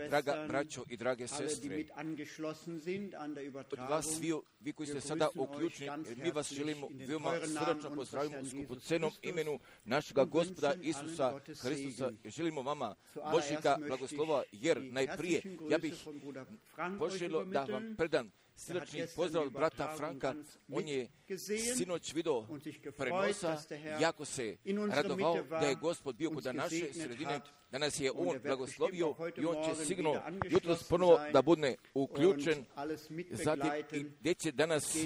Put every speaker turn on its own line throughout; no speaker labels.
Draga braćo i drage sestre, od vas svi, vi koji ste sada uključeni, mi vas želimo veoma srdačno pozdravimo u skupocenom imenu našega Gospoda Isusa Hristusa. Želimo vama Božjega blagoslova, jer najprije ja bih poželio da vam predam srdačni pozdrav od brata Franka. On je sinoć video prenosa, jako se radovao da je Gospod bio kod naše sredine, da nas je on blagoslovio i on će sigurno jutros ponovo da bude uključen, zatim i gdje će danas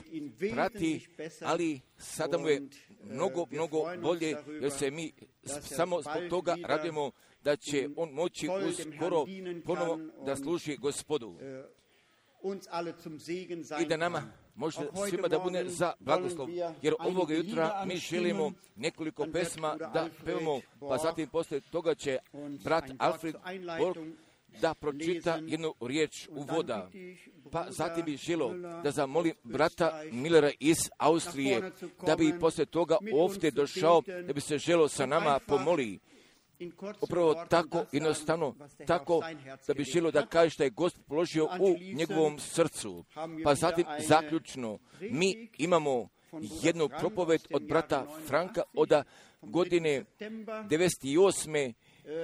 prati, ali sada mu je mnogo bolje, jer se mi samo zbog toga radimo da će on moći uskoro ponovo da služi Gospodu i da nama može svima da bude za blagoslov, jer ovoga jutra mi želimo nekoliko pesma da pevamo, pa zatim poslije toga će brat Alfred Borg da pročita jednu riječ uvoda, pa zatim bih želio da zamolim brata Millera iz Austrije da bi poslije toga ovdje došao, da bi se želio sa nama pomoli. Upravo tako jednostavno, tako da bi želio da kaže što je Gospod položio u njegovom srcu. Pa zatim zaključno, mi imamo jednu propoved od brata Franka od godine 98.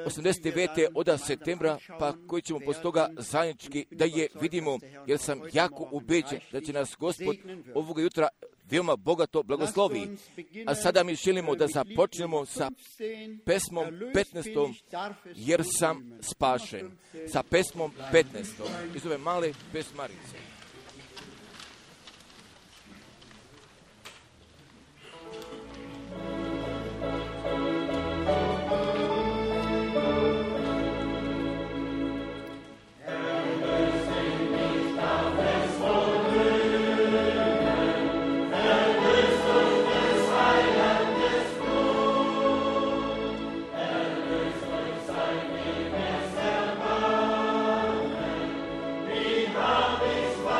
89. od septembra, pa koji ćemo poslije toga zajednički da je vidimo, jer sam jako ubeđen da će nas Gospod ovoga jutra veoma bogato blagoslovi. A sada mi želimo da započnemo sa pesmom 15. jer sam spašen. Sa pesmom 15. iz ove male pesmarice.
This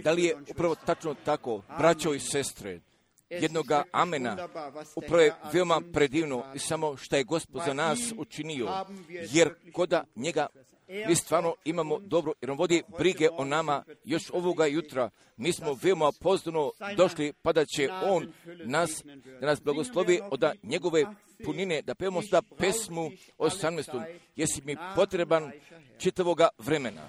Da li je upravo tačno tako, braćo i sestre? Jednoga amena, upravo je veoma predivno i samo što je Gospod za nas učinio, jer koda njega mi stvarno imamo dobro, jer on vodi brige o nama još ovoga jutra. Mi smo veoma pozdravno došli, pa da će on da nas blagoslovi od njegove punine, da pevamo sada pesmu 18. Jesi mi potreban čitavoga vremena.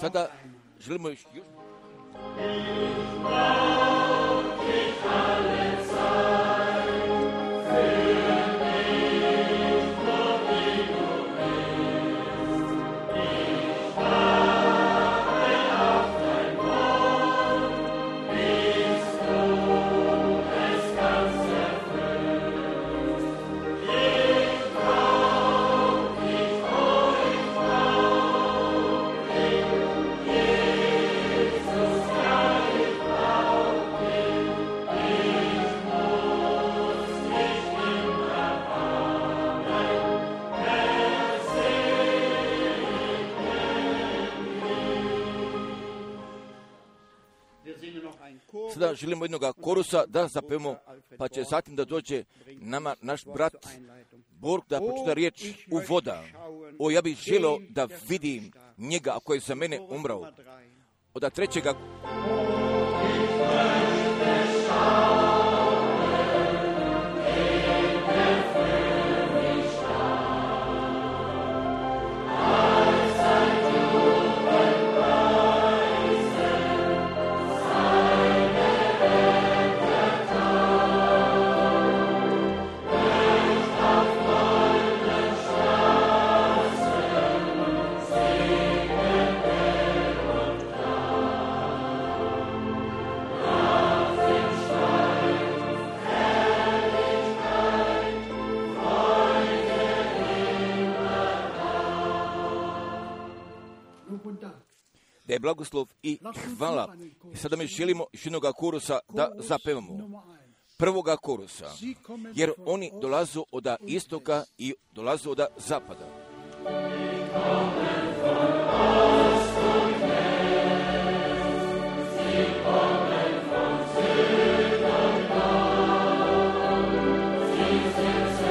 Sada želimo još... Sada želimo jednog korusa da zapevamo, pa će zatim da dođe nama naš brat Borg da pročita riječ u voda. O, ja bih želio da vidim njega ako je za mene umrao. Od trećega... Da je blagoslov i hvala. Sada mi želimo još jednoga korusa da zapevamo. Prvoga korusa, jer oni dolazu od istoka i dolazu od zapada.
Sie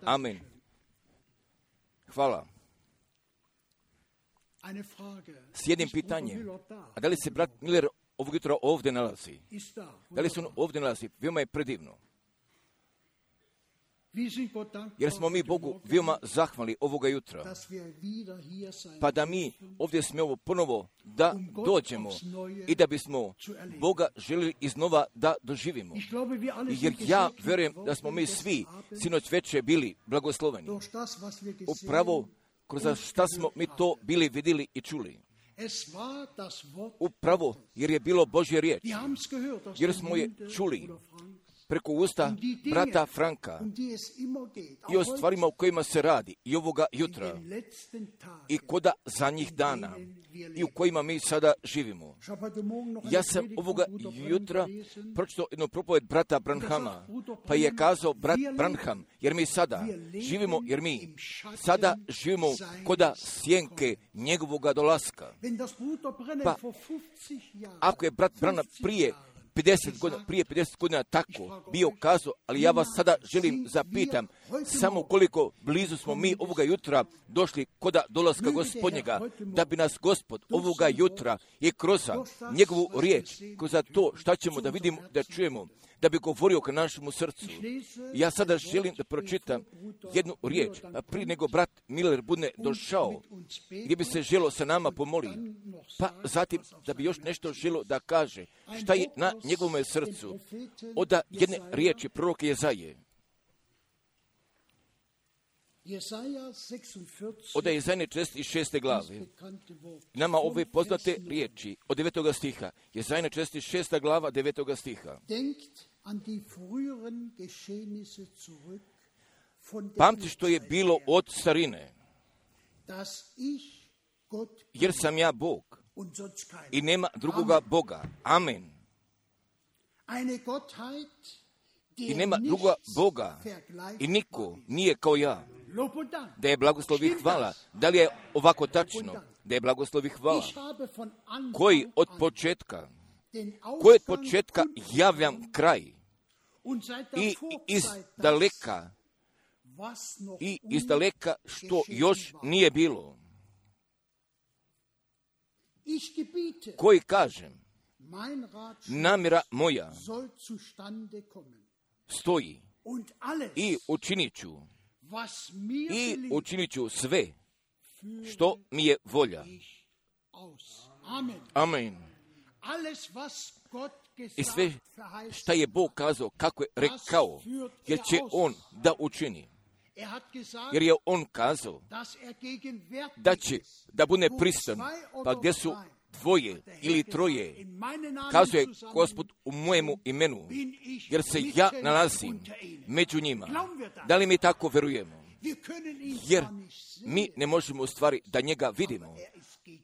Amen. Hvala. S jednim pitanjem. A da li se brat Miller ovog jutra ovdje nalazi? Da li se on ovdje nalazi? Veoma je predivno. Jer smo mi Bogu veoma zahvalni ovoga jutra. Pa da mi ovdje smijemo ponovo da dođemo i da bismo Boga željeli iznova da doživimo. Jer ja vjerujem da smo mi svi sinoć večer bili blagosloveni. Upravo kroz šta smo mi to bili vidjeli i čuli. Upravo jer je bilo Božje riječ. Jer smo je čuli preko usta brata Franka i o stvarima o kojima se radi i ovoga jutra i koda zadnjih dana i u kojima mi sada živimo. Ja sam ovoga jutra pročitao jednu propoved brata Branhama, pa je kazao brat Branham, jer mi sada živimo koda sjenke njegovoga dolaska. Pa ako je brat Branham prije 50 godina tako bio kazao, ali ja vas sada želim zapitam, samo koliko blizu smo mi ovoga jutra došli koda dolaska Gospodnjega, da bi nas Gospod ovoga jutra i kroz njegovu riječ, kroz to šta ćemo da vidimo, da čujemo, da bi govorio ka našemu srcu. Ja sada želim da pročitam jednu riječ, a prije nego brat Miller bude došao, gdje bi se želo sa nama pomoli, pa zatim da bi još nešto želo da kaže, šta je na njegovom srcu, od jedne riječi proroka Jezaje. Od Jezajne 46. glave. Nama ove poznate riječi od 9. stiha. Jezajne 46. glava 9. stiha. Pamti što je bilo od starine, jer sam ja Bog i nema drugoga Boga. Amen. I nema drugoga Boga i niko nije kao ja. Da je blagoslov i hvala. Da li je ovako tačno? Da je blagoslov i hvala. Koji od početka javljam kraj i iz daleka što još nije bilo. Koji kažem, namjera moja stoji i učinit ću sve što mi je volja. Amen. I sve što je Bog kazao, kako je rekao, jer će On da učini. Jer je On kazao da će da bude prisutan, pa gdje su dvoje ili troje, kazuje Gospod u mojemu imenu, jer se ja nalazim među njima. Da li mi tako verujemo? Jer mi ne možemo u stvari da njega vidimo,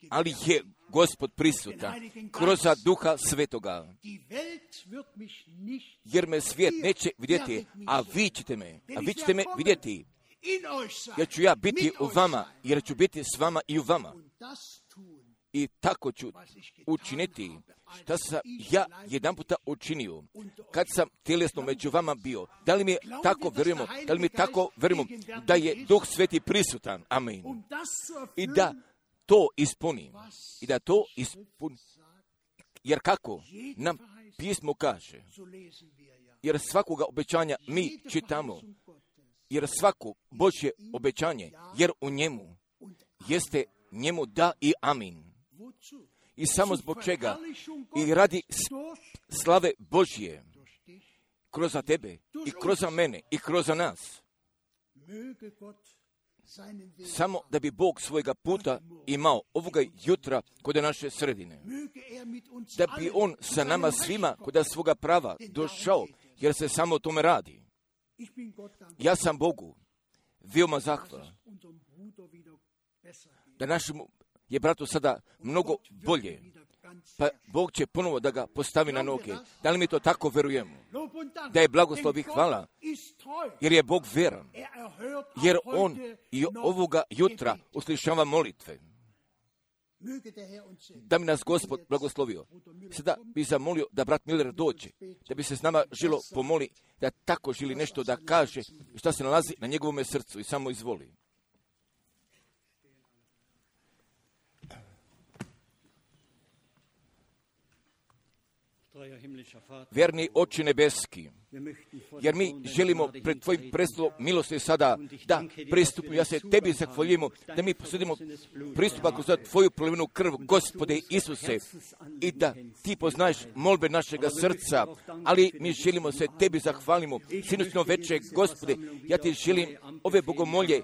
ali je Gospod prisutan kroz Duha Svetoga. Jer me svijet neće vidjeti, a vi ćete me vidjeti. Jer ću ja biti u vama, jer ću biti s vama i u vama. I tako ću učiniti šta sam ja jedan puta učinio, kad sam tjelesno među vama bio. Da li mi tako verujemo, da je Duh Sveti prisutan? Amen. I da to ispuni. Jer kako nam pismo kaže, jer svakoga obećanja mi čitamo, jer svako Božje obećanje, jer u njemu jeste njemu da i amin. I samo zbog čega? I radi slave Božje kroz tebe i kroz mene i kroz nas. Samo da bi Bog svojega puta imao ovoga jutra kod naše sredine. Da bi On sa nama svima kod svoga prava došao, jer se samo o tome radi. Ja sam Bogu veoma zahvalan da našemu je bratu sada mnogo bolje, pa Bog će ponovo da ga postavi na noge. Da li mi to tako verujemo? Da je blagoslov i hvala, jer je Bog vjeran, jer On i ovoga jutra uslišava molitve. da mi nas Gospod blagoslovio. Sada bih zamolio da brat Miller dođe, da bi se s nama žilo pomoli, da tako želi nešto da kaže šta se nalazi na njegovome srcu i samo izvoli. Vjerni Oče nebeski, jer mi želimo pred Tvojim prestolom milosti sada da pristupimo. Ja se Tebi zahvaljujemo da mi posudimo pristupak za Tvoju prolivenu krv, Gospode Isuse, i da Ti poznaješ molbe našega srca, ali mi želimo se Tebi zahvalimo. Sinoćno večer, Gospode, ja Ti želim ove bogomolje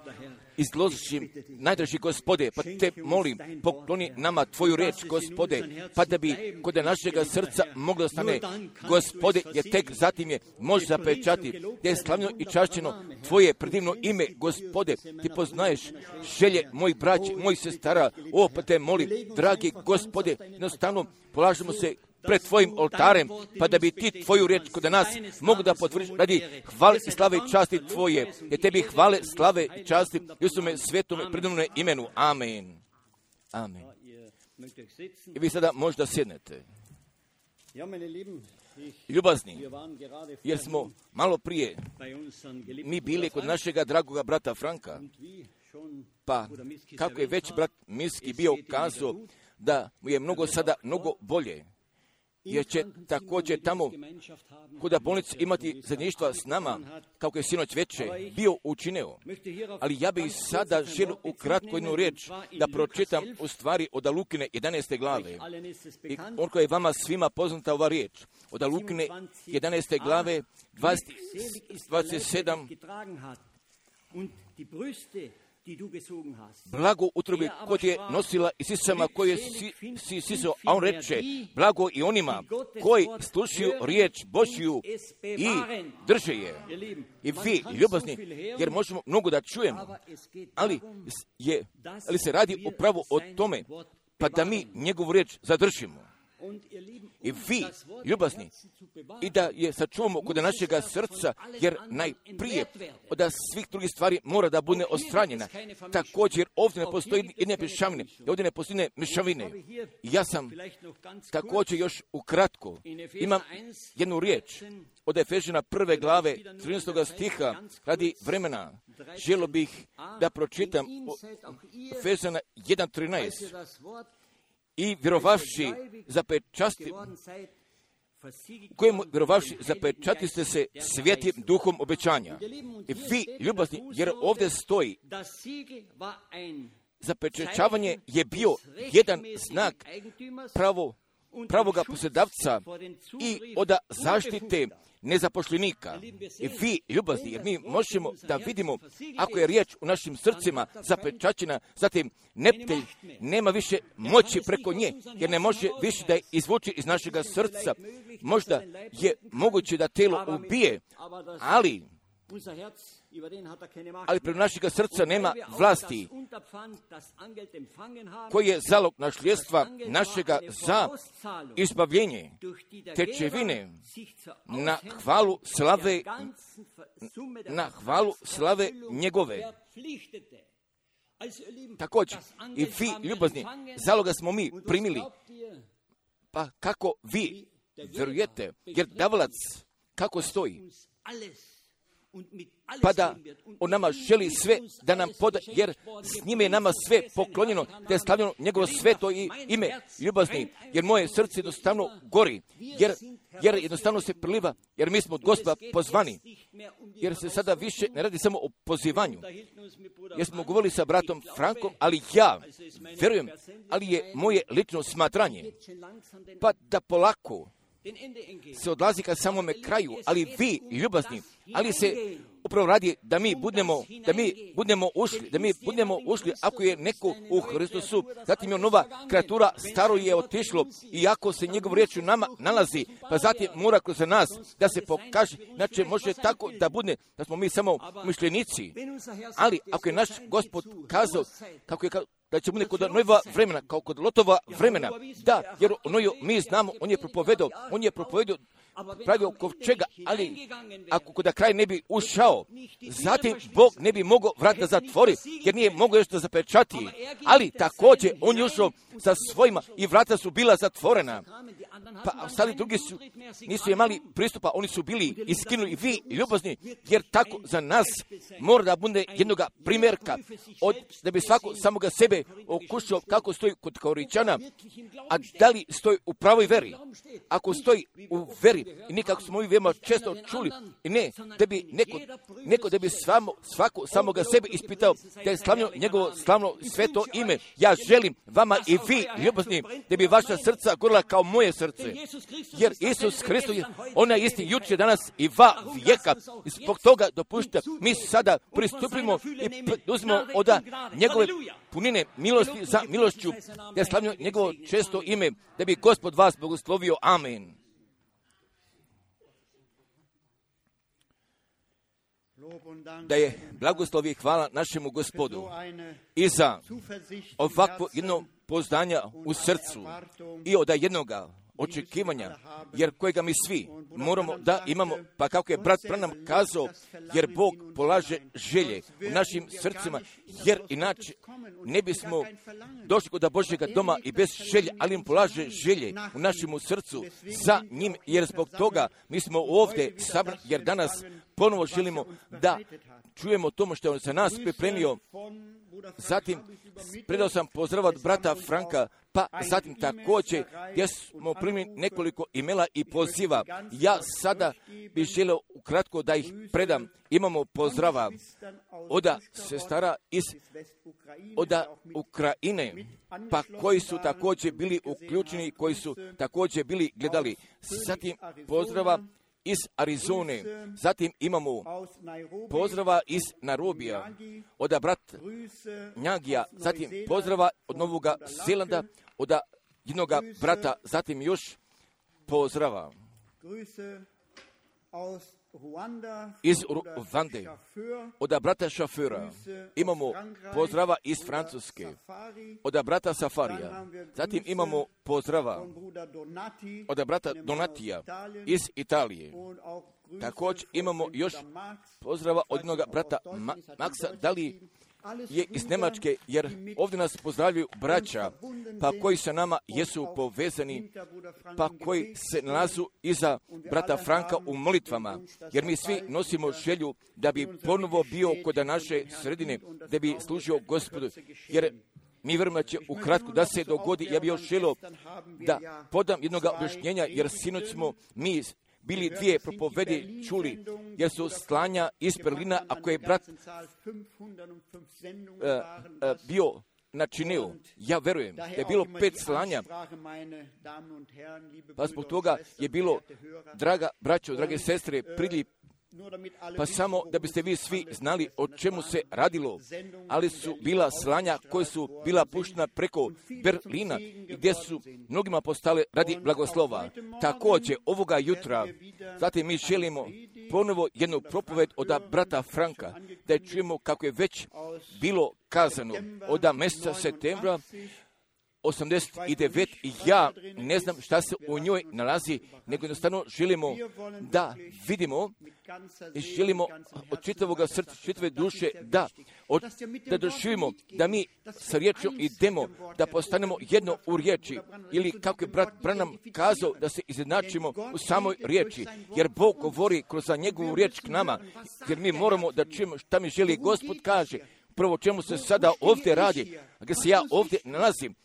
izložim, najdraži Gospode, pa Te molim, pokloni nama Tvoju reč, Gospode, pa da bi kod našega srca moglo stane, Gospode, jer tek zatim je može zapečati, da je slavno i čašćeno Tvoje predivno ime, Gospode, Ti poznaješ želje mojih braća, mojih sestara, pa Te molim, dragi Gospode, jednostavno polažemo se pred Tvojim oltarem, pa da bi Ti Tvoju riječ kod nas mogu da potvrdiš radi hvale i slave i časti Tvoje. Jer Tebi hvale, slave i časti Isume svetome predivnome imenu. Amen. Amen. I vi sada možda sjednete. Ljubazni, jer smo malo prije mi bili kod našega dragoga brata Franka, pa kako je već brat Miski bio kazao da mu je mnogo bolje, jer će također tamo kod bolnice imati zajedništva s nama, kako je sinoć večer bio učinio. Ali ja bih sada želio ukratko jednu riječ da pročitam u stvari od Lukine 11. glave. I onko je vama svima poznata ova riječ. Od Lukine 11. glave 27. Blago utrobi kod je nosila i sisama koje si sisao, a on reče, blago i onima koji slušaju riječ Božju i drže je. I vi, ljubazni, jer možemo mnogo da čujemo, ali se radi upravo o tome, pa da mi njegovu riječ zadržimo. I vi, ljubazni, i da je sačuvamo kod našega srca, jer najprije od svih drugih stvari mora da bude ostranjena. Također ovdje ne postoji jedne mješavine, ovdje ne postoji mješavine. Ja sam također još ukratko, imam jednu riječ od Efežana 1. glave 13. stiha, radi vremena. Želio bih da pročitam Efežana 1.13. I vjerovavši zapečati ste se svijetim duhom obećanja. I vi, ljubazni, jer ovdje stoji, zapečaćavanje je bio jedan znak pravoga posjedavca i od zaštite nezapošljenika. I vi, ljubazni, jer mi možemo da vidimo, ako je riječ u našim srcima zapečaćena, zatim neptelj nema više moći preko nje, jer ne može više da je izvuče iz našega srca. Možda je moguće da telo ubije, ali preko našega srca nema vlasti, koji je zalog nasljedstva našega za izbavljenje, tečevine na hvalu slave njegove. Također, i vi, ljubazni, zaloga smo mi primili, pa kako vi vjerujete, jer davalac kako stoji, pa da on nama želi sve da nam poda, jer s njime je nama sve poklonjeno, da je stavljeno njegovo sveto ime, ljubazni, jer moje srce jednostavno gori, jer jednostavno se priliva, jer mi smo od Gospoda pozvani, jer se sada više ne radi samo o pozivanju, jer smo govorili sa bratom Frankom, ali ja vjerujem, ali je moje lično smatranje, pa da polako se odlazi ka samome kraju, ali vi, ljubazni, ali se upravo radi da mi budemo ušli, ako je neko u Hristosu, zatim je nova kreatura, staro je otišlo, i ako se njegov riječ u nama nalazi, pa zatim mora kroz nas da se pokaže, znači može tako da bude, da smo mi samo mišljenici, ali ako je naš Gospod kazao, kako je da će bude kod Nojeva vremena, kao kod Lotova vremena, da, jer o Noju mi znamo, on je propovedao pravio kovčega, ali ako da kraj ne bi ušao, zatim Bog ne bi mogao vrata zatvori, jer nije mogao još da zapečati. Ali također on je ušao sa svojima i vrata su bila zatvorena. Pa ostali drugi nisu imali pristupa, oni su bili iskinuli i vi ljubazni, jer tako za nas mora da bude jednoga primjerka, da bi svako samoga sebe okušao kako stoji kod Korinčana, a da li stoji u pravoj veri. Ako stoji u veri, i nikako smo mi veoma često čuli, i ne, da bi neko da bi svako samoga sebe ispitao, da je slavno njegovo slavno sveto ime. Ja želim vama i vi ljubazni, da bi vaša srca gorila kao moje srce. Jer Isus Hristos, ona je isti juče, danas i va vijeka. I zbog toga dopušta, mi sada pristupimo i uzmemo od njegove punine milosti za milošću, da je slavno njegovo često ime, da bi Gospod vas blagoslovio. Amen. Da je blagoslov i hvala našemu Gospodu i za ovakvo jedno poznanja u srcu i od jednoga očekivanja, jer kojega mi svi moramo da imamo, pa kako je brat Branham kazao, jer Bog polaže želje u našim srcima, jer inače ne bismo došli kod Božjega doma i bez želje, ali im polaže želje u našemu srcu za njim, jer zbog toga mi smo ovdje sabrani, jer danas ponovo želimo da čujemo tomu što je on za nas pripremio. Zatim predao sam pozdrav od brata Franka, pa zatim također gdje smo primili nekoliko imela i poziva. Ja sada bih želio ukratko da ih predam. Imamo pozdrava od sestara od Ukrajine, pa koji su također bili uključeni, koji su također bili gledali. Zatim pozdrava iz Arizone, zatim imamo pozdrava iz Nairobija od brat Njagija, zatim pozdrava od Novoga Zelanda od jednog brata, zatim još pozdrava iz Ruande od brata šofera, imamo pozdrava iz Francuske od brata Safarija, zatim imamo pozdrava od brata Donatija iz Italije. Također imamo još pozdrava od jednog brata Maksa, da li je iz Njemačke, jer ovdje nas pozdravljaju braća, pa koji sa nama jesu povezani, pa koji se nalazu iza brata Franka u molitvama, jer mi svi nosimo želju da bi ponovo bio kod naše sredine, da bi služio Gospodu, jer mi vjerujemo da će ukratko da se dogodi. Ja bih još želio da podam jednog objašnjenja, jer sinoć smo mi bili dvije propovedi čuli, jer su slanja iz Berlina, ako je brat bio načinio. Ja verujem da je bilo 5 slanja, pa zbog toga je bilo, draga braćo, drage sestre, priljev, pa samo da biste vi svi znali o čemu se radilo, ali su bila slanja koje su bila puštena preko Berlina, gdje su mnogima postale radi blagoslova. Također ovoga jutra, zatim mi želimo ponovo jednu propoved od brata Franka, da je čujemo kako je već bilo kazano od mjeseca septembra 89, i ja ne znam šta se u njoj nalazi, nego jednostavno želimo da vidimo i želimo od čitavog srca, čitave duše da doživimo da mi sa riječom idemo, da postanemo jedno u riječi, ili kako je brat Branham kazao, da se izjednačimo u samoj riječi, jer Bog govori kroz njegovu riječ k nama, jer mi moramo da čujemo šta mi želi Gospod kaže, prvo čemu se sada ovdje radi, a gdje se ja ovdje nalazim,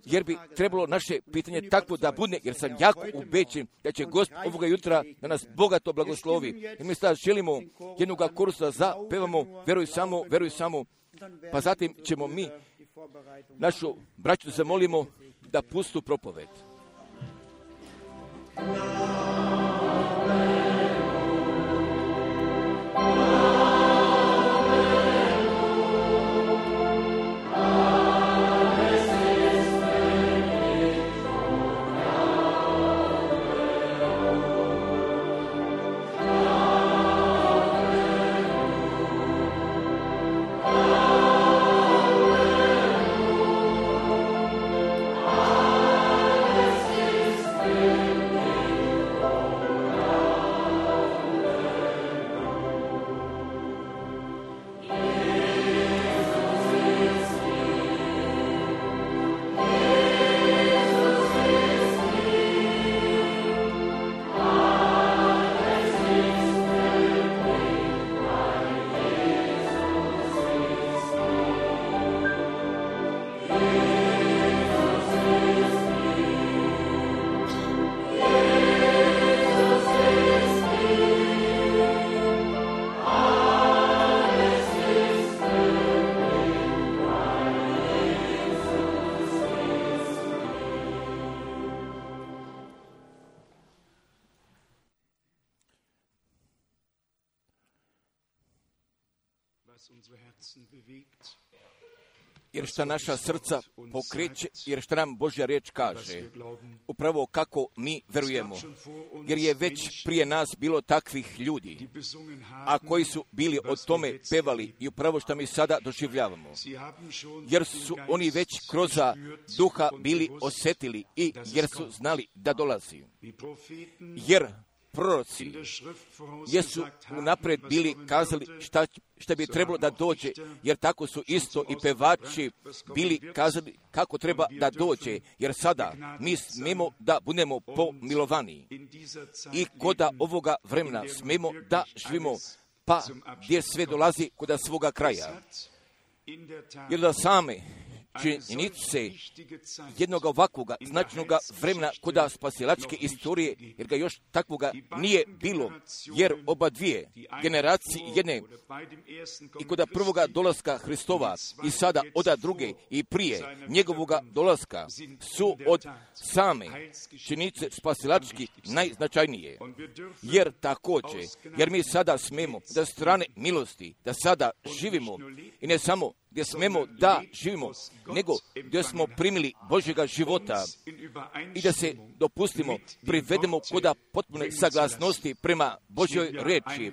jer bi trebalo naše pitanje takvo da bude, jer sam jako ubeđen da će Gospod ovoga jutra da nas bogato blagoslovi. I mi sada želimo jednog kursa za pevamo veruj samo, pa zatim ćemo mi našu braću zamolimo da pustu propoved. Jer šta naša srca pokreće, jer šta nam Božja riječ kaže, upravo kako mi verujemo. Jer je već prije nas bilo takvih ljudi, a koji su bili o tome pevali i upravo što mi sada doživljavamo. Jer su oni već kroz duha bili osjetili i jer su znali da dolazi. Jer proroci jesu unaprijed bili kazali šta bi trebalo da dođe, jer tako su isto i pevači bili kazali kako treba da dođe, jer sada mi smemo da budemo pomilovani i koda ovoga vremena smemo da živimo, pa gdje sve dolazi koda svoga kraja. Jer da same činjenice jednog ovakvoga značajnog vremena koda spasilačke istorije, jer ga još takvoga nije bilo, jer oba dvije generacije jedne i koda prvoga dolaska Hristova i sada oda druge i prije njegovoga dolaska su od same činjenice spasilački najznačajnije. Jer također, jer mi sada smemo da strane milosti, da sada živimo i ne samo gdje smemo da živimo, nego gdje smo primili Božjega života i da se dopustimo, privedemo koda potpune saglasnosti prema Božjoj reči,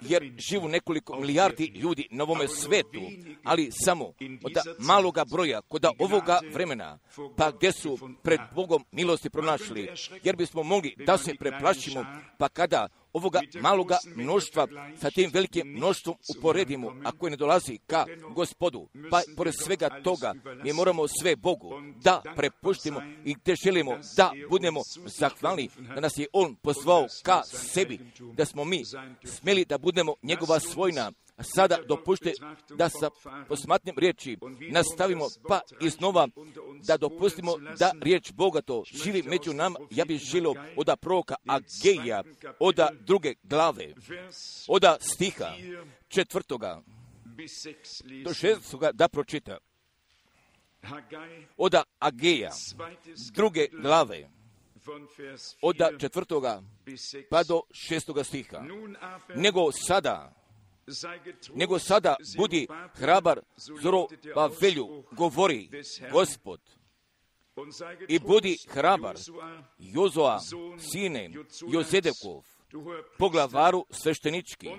jer živu nekoliko milijardi ljudi na ovome svetu, ali samo od maloga broja koda ovoga vremena, pa gdje su pred Bogom milosti pronašli, jer bismo mogli da se preplašimo, pa kada ovoga maloga mnoštva sa tim velikim mnoštvom uporedimo, ako ne dolazi ka Gospodu, pa pored svega toga mi moramo sve Bogu da prepuštimo i gdje želimo da budemo zahvalni da nas je On pozvao ka sebi, da smo mi smjeli da budemo njegova svojina. Sada dopušte da sa posmatnim riječi nastavimo pa iznova da dopustimo da riječ Boga to živi među nama. Ja bih želio od proroka Ageja, od 2. glave, od stiha 4. do 6. da pročita. Od Ageja, 2. glave, od 4. pa do 6. stiha. Nego sada budi hrabar Zorobavelju, govori Gospod, i budi hrabar Jozoa, sine Jozedekov, poglavaru sveštenički,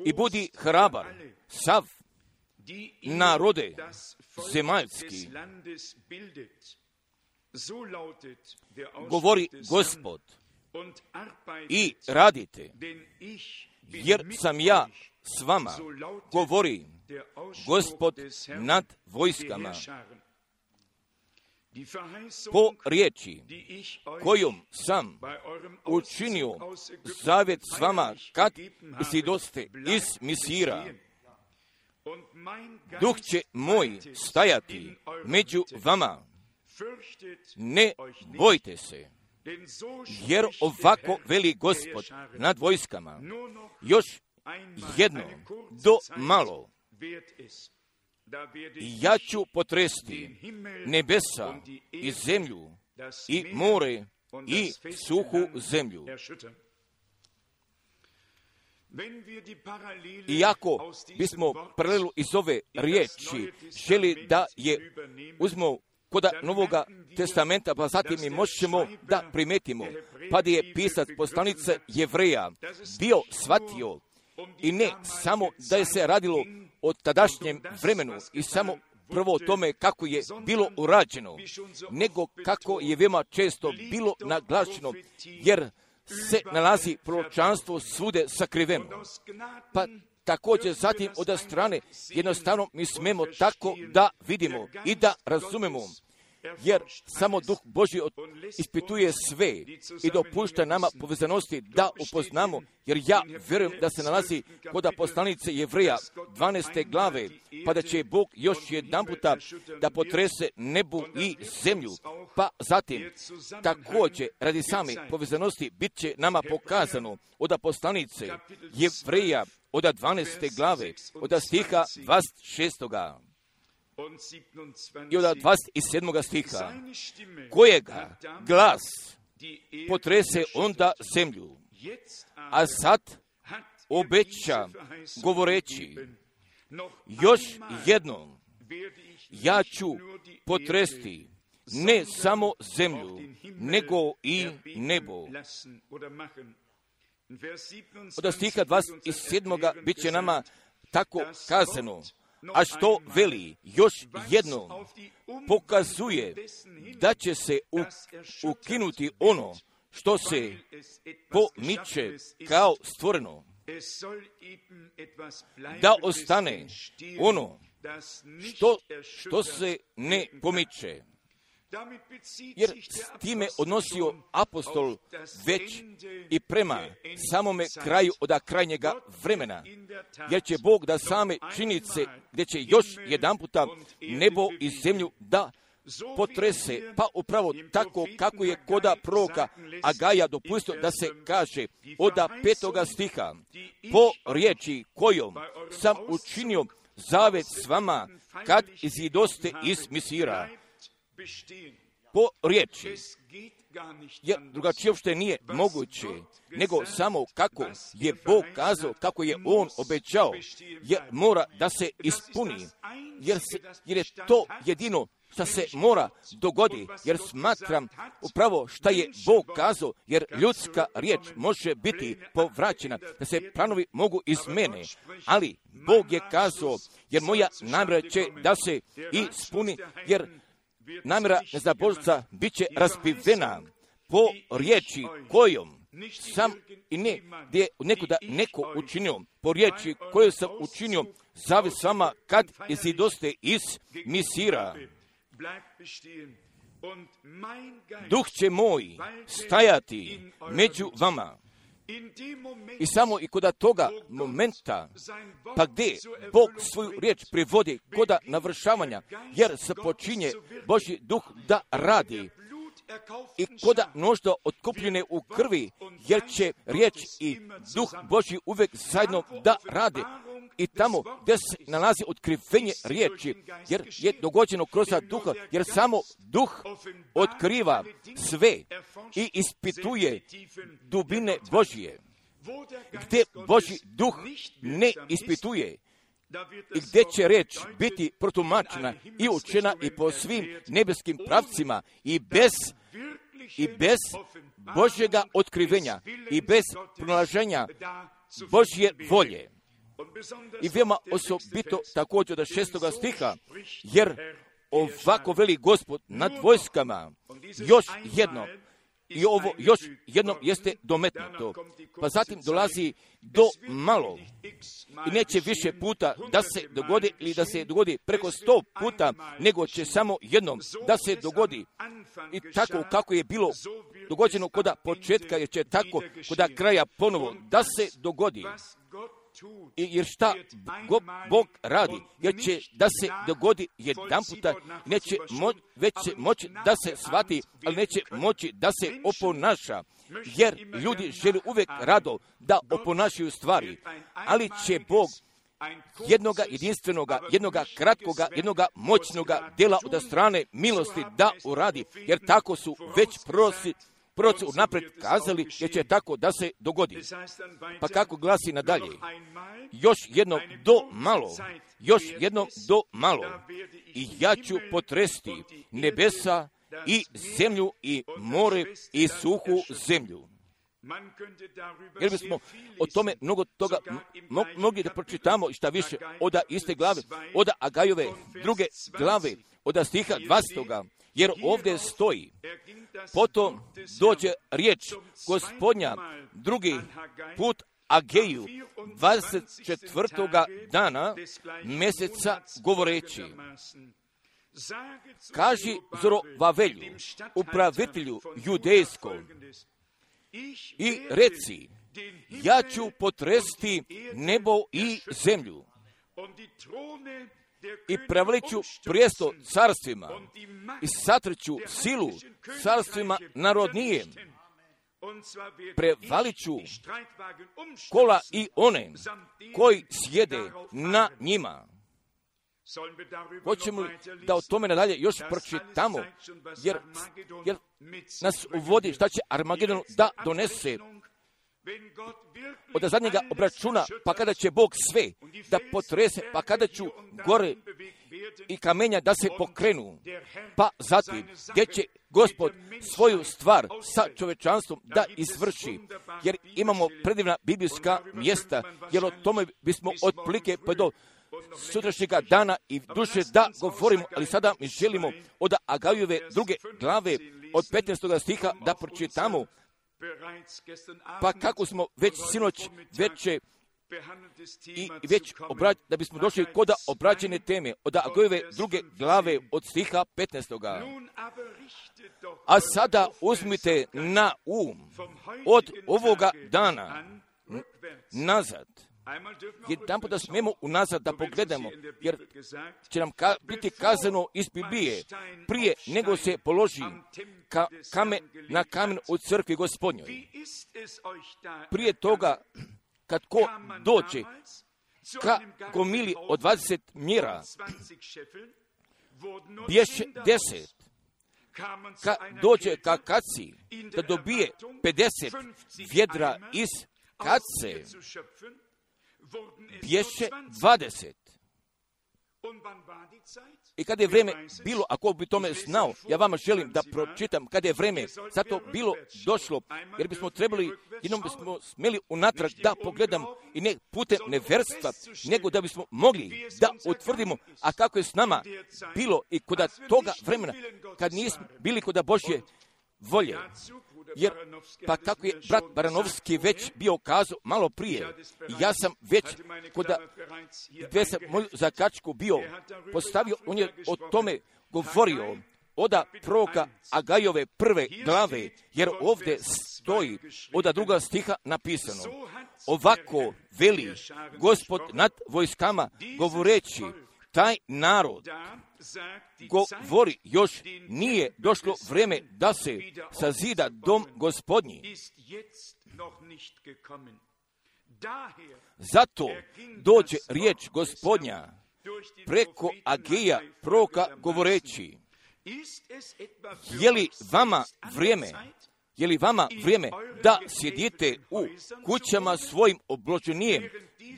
i budi hrabar sav narode zemaljski, govori Gospod, i radite, jer sam ja s vama, govori Gospod nad vojskama. Po riječi kojom sam učinio zavjet s vama kad isidoste iz Misira, duh će moj stajati među vama, ne bojte se, jer ovako veli Gospod nad vojskama, još jedno do malo, i ja ću potresti nebesa i zemlju i more i suhu zemlju. Iako bismo paralelu iz ove riječi želi da je uzmemo koda Novoga testamenta, pa zatim mi možemo da primetimo, pa da je pisac poslanice Jevreja bio shvatio i ne samo da je se radilo o tadašnjem vremenu i samo prvo o tome kako je bilo urađeno, nego kako je veoma često bilo naglašeno, jer se nalazi proročanstvo svude sakriveno. Pa također zatim od strane jednostavno mi smemo tako da vidimo i da razumemo, jer samo Duh Božji ispituje sve i dopušta nama povezanosti da upoznamo, jer ja vjerujem da se nalazi kod poslanice Jevreja 12. glave, pa da će Bog još jedan puta da potrese nebu i zemlju, pa zatim također radi same povezanosti bit će nama pokazano od poslanice Jevreja od 12. glave, od stiha 26. i od 27. stiha, kojega glas potrese onda zemlju, a sad obeća govoreći, još jednom ja ću potresti ne samo zemlju, nego i nebo. Od stiha 27. bit će nama tako kazano, a što veli još jednom pokazuje da će se ukinuti ono što se pomiče kao stvoreno, da ostane ono što se ne pomiče. Jer s time odnosio apostol već i prema samome kraju od krajnjega vremena. Jer će Bog da same činjenice gdje će još jedan puta nebo i zemlju da potrese, pa upravo tako kako je koda proroka Agaja dopustio da se kaže od 5. stiha, po riječi kojom sam učinio zavet s vama kad izidoste iz Misira. Po riječi, jer drugačije uopšte nije moguće, nego samo kako je Bog kazao, kako je On obećao, jer mora da se ispuni, jer je to jedino što se mora dogodi, jer smatram upravo šta je Bog kazao, jer ljudska riječ može biti povraćena, da se planovi mogu izmene, ali Bog je kazao, jer moja namjera će da se ispuni, jer namjera neznabožca bit će raspivena po riječi kojom sam i ne gdje je neko učinio, po riječi koju sam učinio zavet s vama kad izidoste iz Misira. Duh će moj stajati među vama. I samo i kod toga momenta, pa gdje Bog svoju riječ privodi kod navršavanja, jer se počinje Božji duh da radi, i kod mnoštva otkupljene u krvi, jer će riječ i duh Božji uvijek zajedno da radi. I tamo gdje se nalazi otkrivenje riječi, jer je dogođeno kroz duha, jer samo duh otkriva sve i ispituje dubine Božje. Gdje Božji duh ne ispituje i gdje će riječ biti protumačena i učena i po svim nebeskim pravcima i bez Božjega otkrivenja i bez pronalaženja Božje volje. I veoma osobito također od 6. stiha, jer ovako veli Gospod nad vojskama, još jedno, i ovo još jednom jeste dometnuto. Pa zatim dolazi do malo i neće više puta da se dogodi ili da se dogodi preko 100 puta, nego će samo jednom da se dogodi. I tako kako je bilo dogođeno kod početka, jer će tako kod kraja ponovo da se dogodi. Jer šta Bog radi, jer će da se dogodi jedan puta, već će moći da se shvati, ali neće moći da se oponaša, jer ljudi žele uvijek rado da oponašaju stvari, ali će Bog jednoga jedinstvenoga, jednoga kratkoga, jednoga moćnoga dela od strane milosti da uradi, jer tako su već proroci unaprijed kazali, jer će tako da se dogodi. Pa kako glasi nadalje? Još jednom do malo, i ja ću potresti nebesa i zemlju i more i suhu zemlju. Jer bismo o tome mnogo toga mogli da pročitamo i šta više od iste glave, od Agajove druge glave, od stiha 20. Jer ovdje stoji, potom dođe riječ Gospodnja drugi put Ageju 24. dana mjeseca govoreći, kaži Zorovavelju, upravitelju judejskom, i reci, ja ću potresti nebo i zemlju i preveliću prijesto carstvima i satrću silu carstvima narodnijem. Prevaliću kola i one koji sjede na njima. Hoćemo da o tome nadalje još pročitamo, jer nas uvodi šta će Armagedon da donese. od zadnjega obračuna, pa kada će Bog sve da potrese, pa kada ću gore i kamenja da se pokrenu, pa zatim gdje će Gospod svoju stvar sa čovečanstvom da izvrši, jer imamo predivna biblijska mjesta, jer o tome bismo otprilike pa do sutrašnjega dana i duše da govorimo, ali sada mi želimo od Agajove 2. glave od 15. stiha da pročitamo, pa kako smo već sinoć veće i već da bismo došli kod obraćene teme od Agajove 2. glave od stiha 15. A sada uzmite na od ovoga dana nazad. Jedan put da smijemo unazad da pogledamo, jer će nam biti kazano iz Biblije, prije nego se položi kamen na kamen u crkvi Gospodnjoj. Prije toga, kad ko dođe ka gomili od 20 mjera, bješe 10. Kad dođe ka kaci, da dobije 50 vjedra iz kace, bješe 20. I kada je vrijeme bilo, ako bi tome znao, ja vama želim da pročitam kada je vrijeme zato bilo došlo, jer bismo trebali, jednom bismo smjeli unatrag da pogledamo i ne putem neverstva, nego da bismo mogli da utvrdimo, a kako je s nama bilo i kod toga vremena, kad nismo bili kod Božje volje. Jer, pa kako je brat Baranovski već bio kazao malo prije, ja sam već kod gdje sam moju zakačku bio postavio, on je o tome govorio od proroka Agajove 1. glave, jer ovdje stoji od 2. stiha napisano, ovako veli Gospod nad vojskama govoreći, taj narod govori, još nije došlo vrijeme da se sazida dom Gospodnji. Zato dođe riječ Gospodnja preko Ageja proroka govoreći, je li vama vrijeme da sjedite u kućama svojim obloženijem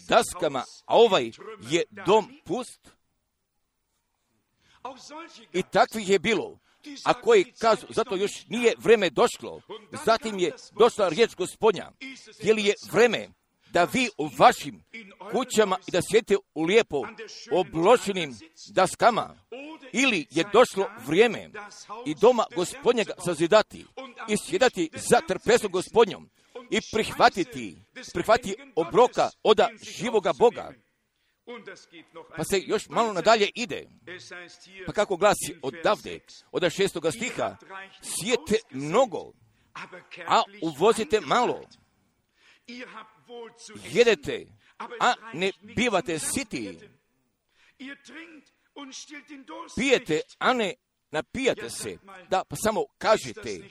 daskama, a ovaj je dom pust? I takvih je bilo, a koji kažu, zato još nije vrijeme došlo, zatim je došla riječ Gospodnja, je li je vrijeme da vi u vašim kućama i da sjedite u lijepo obloženim daskama, ili je došlo vrijeme i doma Gospodnjega sazidati i sjedati za trpesom Gospodnjom i prihvatiti obroka od živoga Boga. Pa se još malo nadalje ide. Pa kako glasi odavde, od 6. stiha, sijete mnogo, a uvozite malo. Jedete, a ne bivate siti. Pijete, a ne napijate se. Da, pa samo kažete,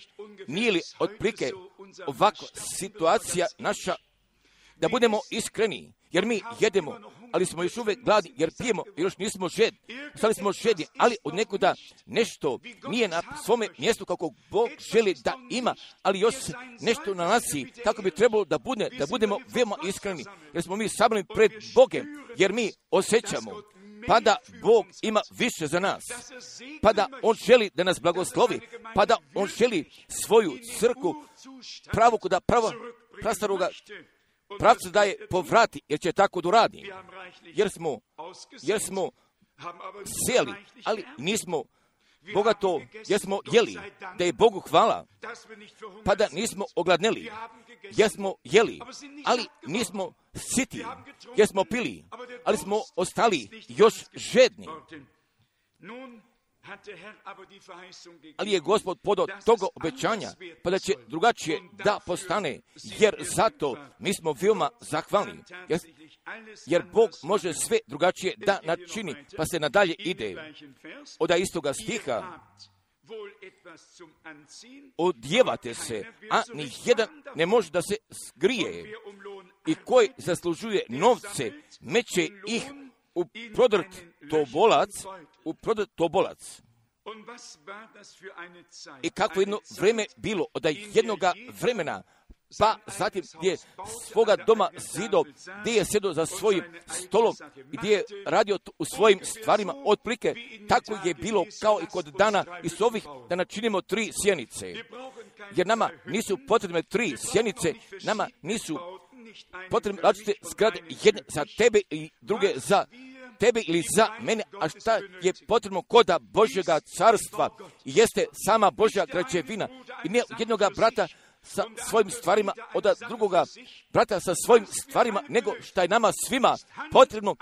nije li otprilike ovakva situacija naša, da budemo iskreni, jer mi jedemo, ali smo još uvijek gladni, jer pijemo, još nismo žedni. Stali smo žedni, ali od nekuda nešto nije na svome mjestu kako Bog želi da ima, ali još nešto nalazi kako bi trebalo da budemo veoma iskreni, jer smo mi sabrani pred Bogem, jer mi osjećamo pa da Bog ima više za nas, pa da On želi da nas blagoslovi, pa da On želi svoju crkvu pravo kuda prastaroga pravca da je povrati, jer će tako da uradi. Jer smo sejali, ali nismo bogato, jer smo jeli, da je Bogu hvala, pa da nismo ogladneli, jer smo jeli, ali nismo siti, jer smo pili, ali smo ostali još žedni. Ali je Gospod podao toga obećanja, pa da će drugačije da postane, jer zato mi smo veoma zahvalni, jer Bog može sve drugačije da načini, pa se nadalje ide. Od istoga stiha, odjevate se, a ni jedan ne može da se skrije, i koji zaslužuje novce, meće ih u prodrt tobolac. I kako jedno vreme bilo, od jednoga vremena, pa zatim gdje je svoga doma zido, gdje je sjedio za svojim stolom, gdje je radio u svojim stvarima, otprilike tako je bilo kao i kod dana i s ovih da načinimo 3 sjenice. Jer nama nisu potrebne 3 sjenice, nama nisu potrebne različite zgrade, jedne za tebe i druge za tebe ili za mene, a šta je potrebno koda Božjega carstva jeste sama Božja građevina i ne jednoga brata sa svojim stvarima od drugoga brata sa svojim stvarima, nego šta je nama svima potrebno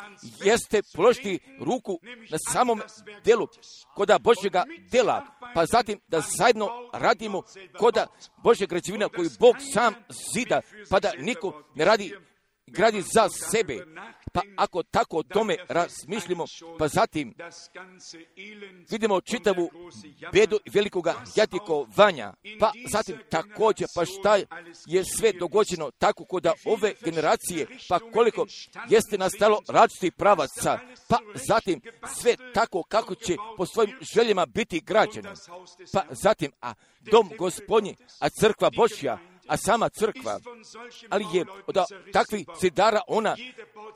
jeste položiti ruku na samom delu koda Božjega dela, pa zatim da zajedno radimo koda Božje građevina koju Bog sam zida, pa da niko ne gradi za sebe. Pa ako tako o tome razmišljamo, pa zatim vidimo čitavu bedu velikoga jadikovanja, pa zatim također, pa šta je sve dogođeno tako kod ove generacije, pa koliko jeste nastalo različitih pravaca, pa zatim sve tako kako će po svojim željama biti građeno, pa zatim, a dom Gospodnji, a crkva Božja, a sama crkva, ali je od takvih zidara ona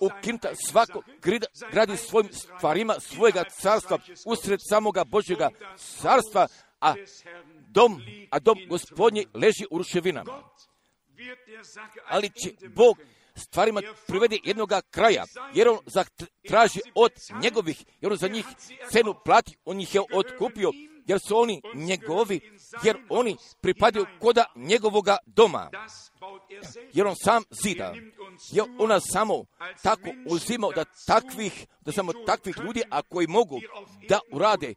ukinuta, svako gradi svojim stvarima svojega carstva usred samoga Božjega carstva, a dom Gospodnji leži u ruševinama. Ali će Bog stvarima privede jednoga kraja, jer on traži od njegovih, jer on za njih cenu plati, on ih je otkupio, jer su oni njegovi, jer oni pripadaju koda njegovoga doma, jer on sam zida, jer ona samo tako uzimao da samo takvih ljudi, a koji mogu da urade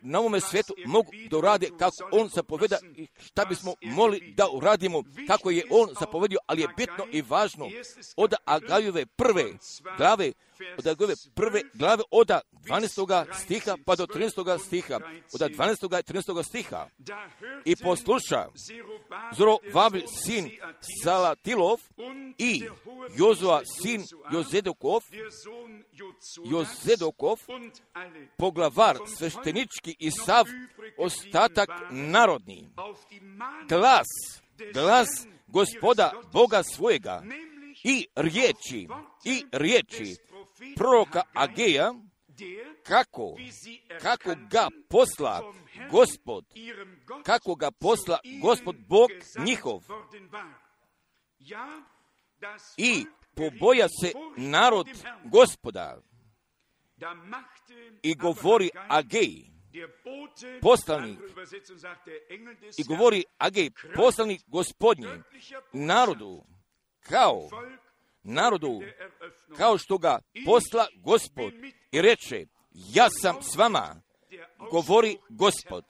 na ovome svijetu, mogu da urade kako on zapoveda i šta bismo mogli da uradimo, kako je on zapovedio, ali je bitno i važno od Agajove prve glave, od 12. stiha pa do 13. stiha, od 12. i 13. stiha. I posluša Zorobabel sin Salatilov i Jozua sin Jozedokov, poglavar sveštenički i sav ostatak narodni. Glas Gospoda Boga svojega i riječi proroka Ageja, kako ga posla Gospod Bog njihov. I poboja se narod Gospoda. I govori Agej, poslanik, Gospodnji, kao što ga posla Gospod i reče, ja sam s vama, govori Gospod.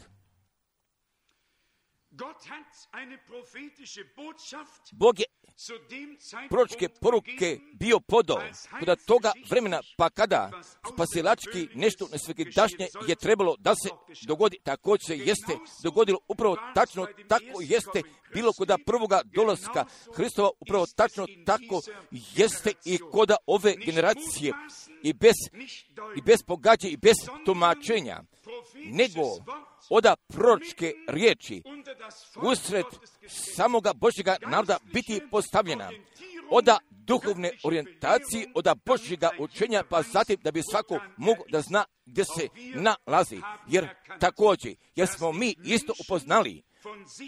Bog je proročke poruke bio podao kod toga vremena, pa kada spasilački nešto nesvakidašnje je trebalo da se dogodi, također se jeste dogodilo upravo tačno, tako jeste bilo kod prvoga dolaska Hristova, upravo tačno tako jeste i kod ove generacije i bez pogađa i bez tumačenja, nego oda proročke riječi usred samoga Božjega naroda biti postavljena, oda duhovne orijentacije, oda Božjega učenja, pa zatim da bi svako mogo da zna gdje se nalazi. Jer također, jer smo mi isto upoznali,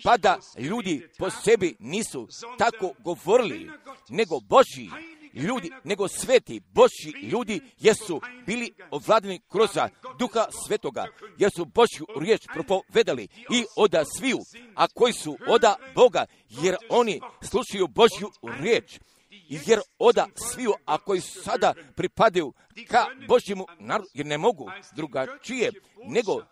pa da ljudi po sebi nisu tako govorili, nego Božji ljudi, nego sveti Božji ljudi, jer su bili ovladani kroz Duha Svetoga, jer su Božju riječ propovedali i oda sviju, a koji su oda Boga, jer oni slušaju Božju riječ, jer oda sviju, a koji sada pripadaju ka Božjemu narodu, jer ne mogu drugačije nego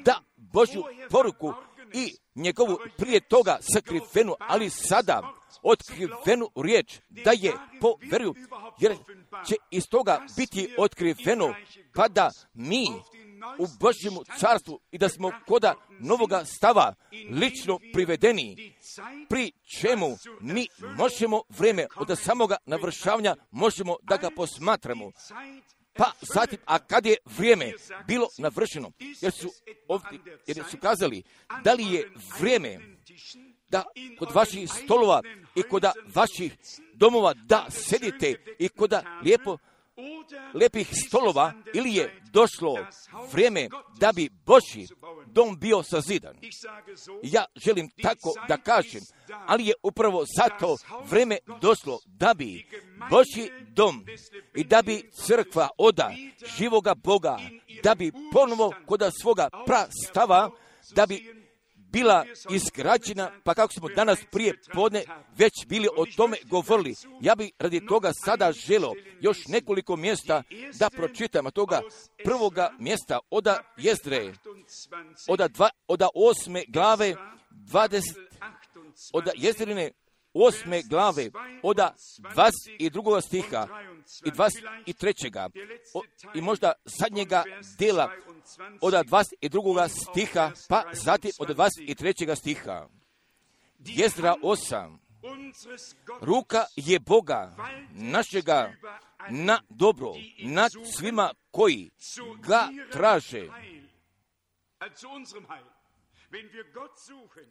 da Božju poruku i njegovu prije toga sakrivenu, ali sada otkrivenu riječ da je poveruju, jer će iz toga biti otkriveno, pa da mi u Božjemu carstvu i da smo koda novoga stava lično privedeni, pri čemu mi možemo vreme od samoga navršavanja možemo da ga posmatramo. Pa zatim, a kad je vrijeme bilo navršeno, jer su kazali, da li je vrijeme da kod vaših stolova i kod vaših domova da sedite i kod lijepih stolova, ili je došlo vrijeme da bi Božji dom bio sazidan. Ja želim tako da kažem, ali je upravo zato vrijeme došlo da bi Božji dom i da bi crkva oda živoga Boga, da bi ponovo kod svoga prastava, da bi bila izgrađena, pa kako smo danas prije podne već bili o tome govorili. Ja bih radi toga sada želio još nekoliko mjesta da pročitam, a toga prvoga mjesta od Jezdre, od 8. glave 20, od Jezdrine 8. glave, od 22. stiha i 23. I možda zadnjega dela od 22. stiha, pa zatim od 23. stiha. Jezdra 8. Ruka je Boga našega na dobro, nad svima koji ga traže.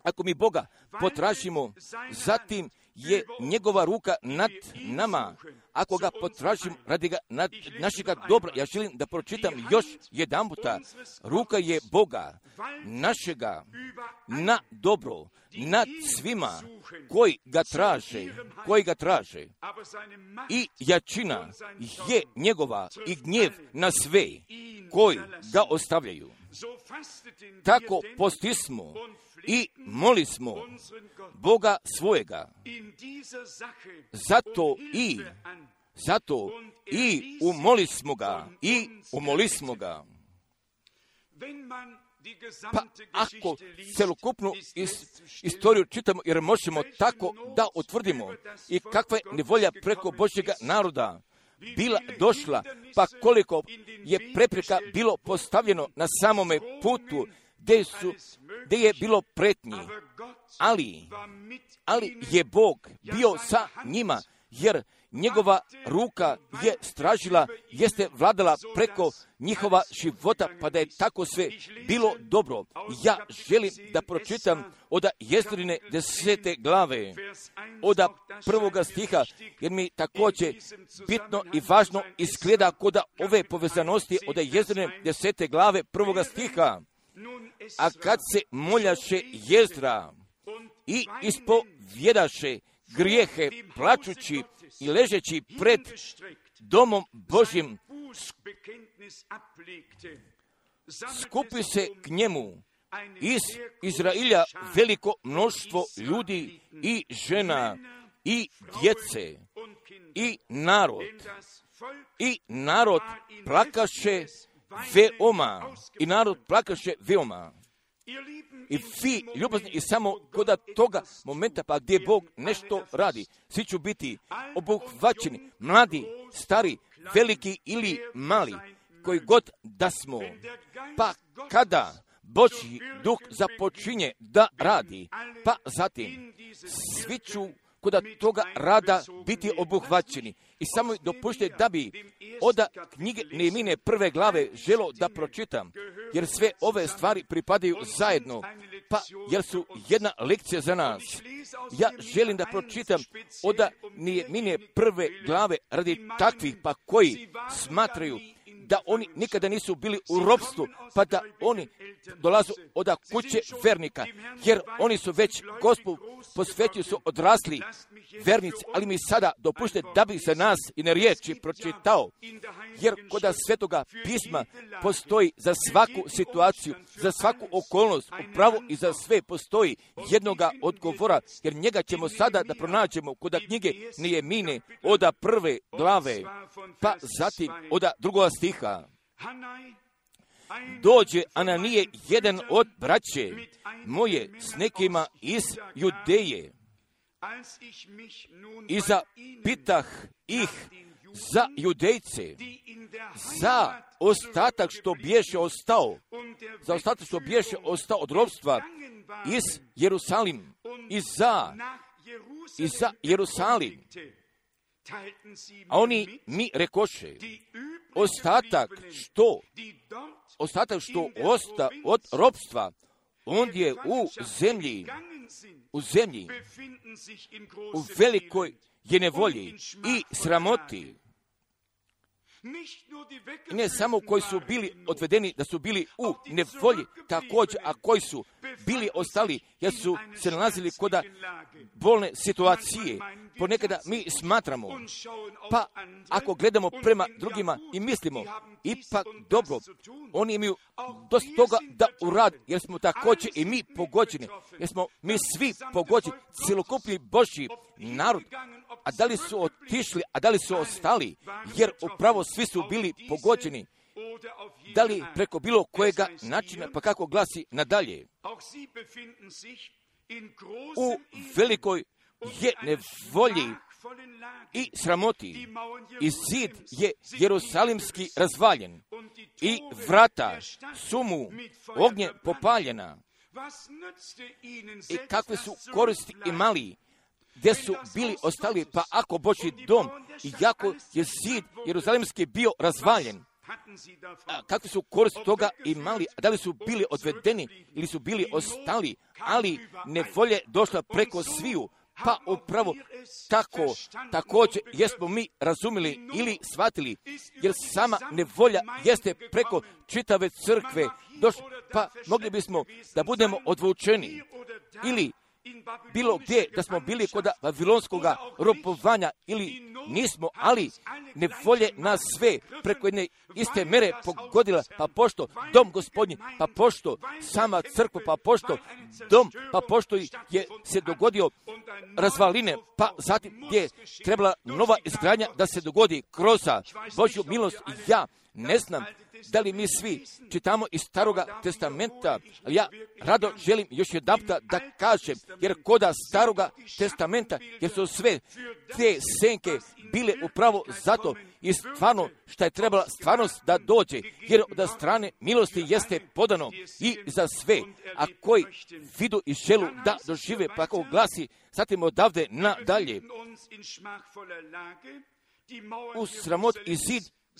Ako mi Boga potražimo, zatim je njegova ruka nad nama. Ako ga potražimo radi ga nad našega dobra, ja želim da pročitam još jedan puta. Ruka je Boga našega na dobro, nad svima koji ga traže. I jačina je njegova i gnjev na sve koji ga ostavljaju. Tako postismo i molismo Boga svojega. Zato i umolismo ga. Pa ako celokupnu istoriju čitamo, jer možemo tako da utvrdimo i kakva je nevolja preko Božjega naroda bila došla, pa koliko je prepreka bilo postavljeno na samome putu, gdje je bilo pretnji. Ali je Bog bio sa njima, jer njegova ruka je stražila, jeste vladala preko njihova života, pa da je tako sve bilo dobro. Ja želim da pročitam od Jezdrine 10. glave, od 1. stiha, jer mi također bitno i važno izgleda kod ove povezanosti od Jezdrine 10. glave 1. stiha. A kad se moljaše Jezdra i ispovjedaše grijehe plačući i ležeći pred domom Božjim, skupi se k njemu iz Izrailja veliko mnoštvo ljudi i žena i djece i narod plakaše veoma. I vi, ljubazni, i samo kod toga momenta pa gdje Bog nešto radi, svi ću biti obuhvaćeni, mladi, stari, veliki ili mali, koji god da smo. Pa kada Božji duh započinje da radi, pa zatim svi ću kod toga rada biti obuhvaćeni. I samo dopušte da bi od knjige Nehemije 1. glave želo da pročitam, jer sve ove stvari pripadaju zajedno, pa jer su jedna lekcija za nas. Ja želim da pročitam od Nehemije 1. glave radi takvih pa koji smatraju da oni nikada nisu bili u ropstvu, pa da oni dolazu od kuće vernika, jer oni su već Gospodu posvetili, su odrasli vernici, ali mi sada dopušte da bi se nas i na riječi pročitao, jer kod Svetoga pisma postoji za svaku situaciju, za svaku okolnost, upravo i za sve postoji jednoga odgovora, jer njega ćemo sada da pronađemo kod knjige Nehemije od 1. glave, pa zatim od 2. stiha. Dođe Ananije, jedan od braće moje, s nekima iz Judeje, i zapitah ih za Judejce, za ostatak što biješe ostao od ropstva iz Jerusalim, i za Jerusalim. A oni mi rekoše, ostatak što osta od ropstva, on je u zemlji u zemlji, u velikoj je nevolji i sramoti. I ne samo koji su bili odvedeni, da su bili u nevolji, također, a koji su bili ostali, jer su se nalazili kod bolne situacije. Ponekada mi smatramo, pa ako gledamo prema drugima i mislimo, ipak dobro, oni imaju dosta toga da urad, jer smo također i mi pogođeni, jer smo mi svi pogođeni, cjelokupni Božji narod. A da li su otišli, a da li su ostali, jer upravo svi su bili pogođeni. Da li preko bilo kojega načina, pa kako glasi nadalje. U velikoj je nevolji i sramoti i zid je jerusalimski razvaljen i vrata su mu ognje popaljena. I kakve su koristi imali gdje su bili ostali, pa ako Božji dom i jako je zid jerusalimski bio razvaljen, kakve su koristi toga imali, da li su bili odvedeni ili su bili ostali, ali nevolje došla preko sviju, pa upravo tako, također jesmo mi razumili ili shvatili, jer sama nevolja jeste preko čitave crkve došla, pa mogli bismo da budemo odvučeni ili bilo gdje da smo bili kod vavilonskog robovanja ili nismo, ali nevolje nas sve preko jedne iste mere pogodila, pa pošto dom Gospodnji, pa pošto sama crkva, pa pošto dom, pa pošto je se dogodio razvaline, pa zatim gdje je trebala nova izgradnja da se dogodi kroz Božju milost. Ja ne znam da li mi svi čitamo iz Staroga testamenta, ali ja rado želim još jedanputa da kažem, jer koda Staroga testamenta, jer su sve te senke bile upravo zato i stvarno što je trebala stvarnost da dođe, jer od strane milosti jeste podano i za sve, a koji vidu i želu da dožive, pa kako glasi, zatim odavde nadalje. U sramot i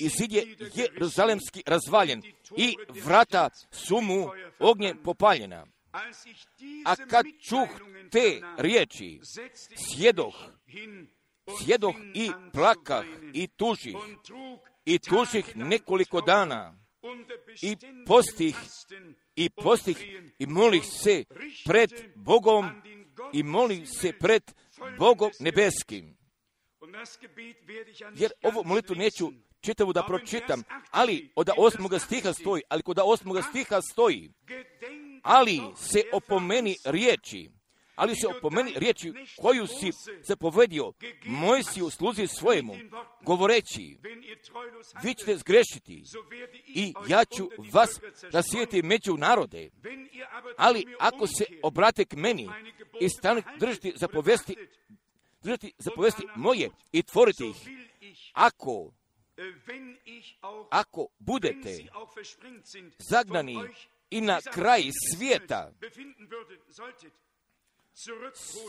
zid je jeruzalemski razvaljen i vrata su mu ognjem popaljena. A kad čuh te riječi, sjedoh i plakah i tužih nekoliko dana i postih i molih se pred Bogom nebeskim. Jer ovu molitvu neću čitavu da pročitam, ali od 8. stiha stoji, ali se opomeni riječi koju si zapovedio Mojsiju sluzi svojemu, govoreći, vi ćete zgrešiti i ja ću vas rasijeti među narode, ali ako se obrate k meni i stanete držati zapovesti moje i tvoriti ih, ako budete zagnani i na kraj svijeta,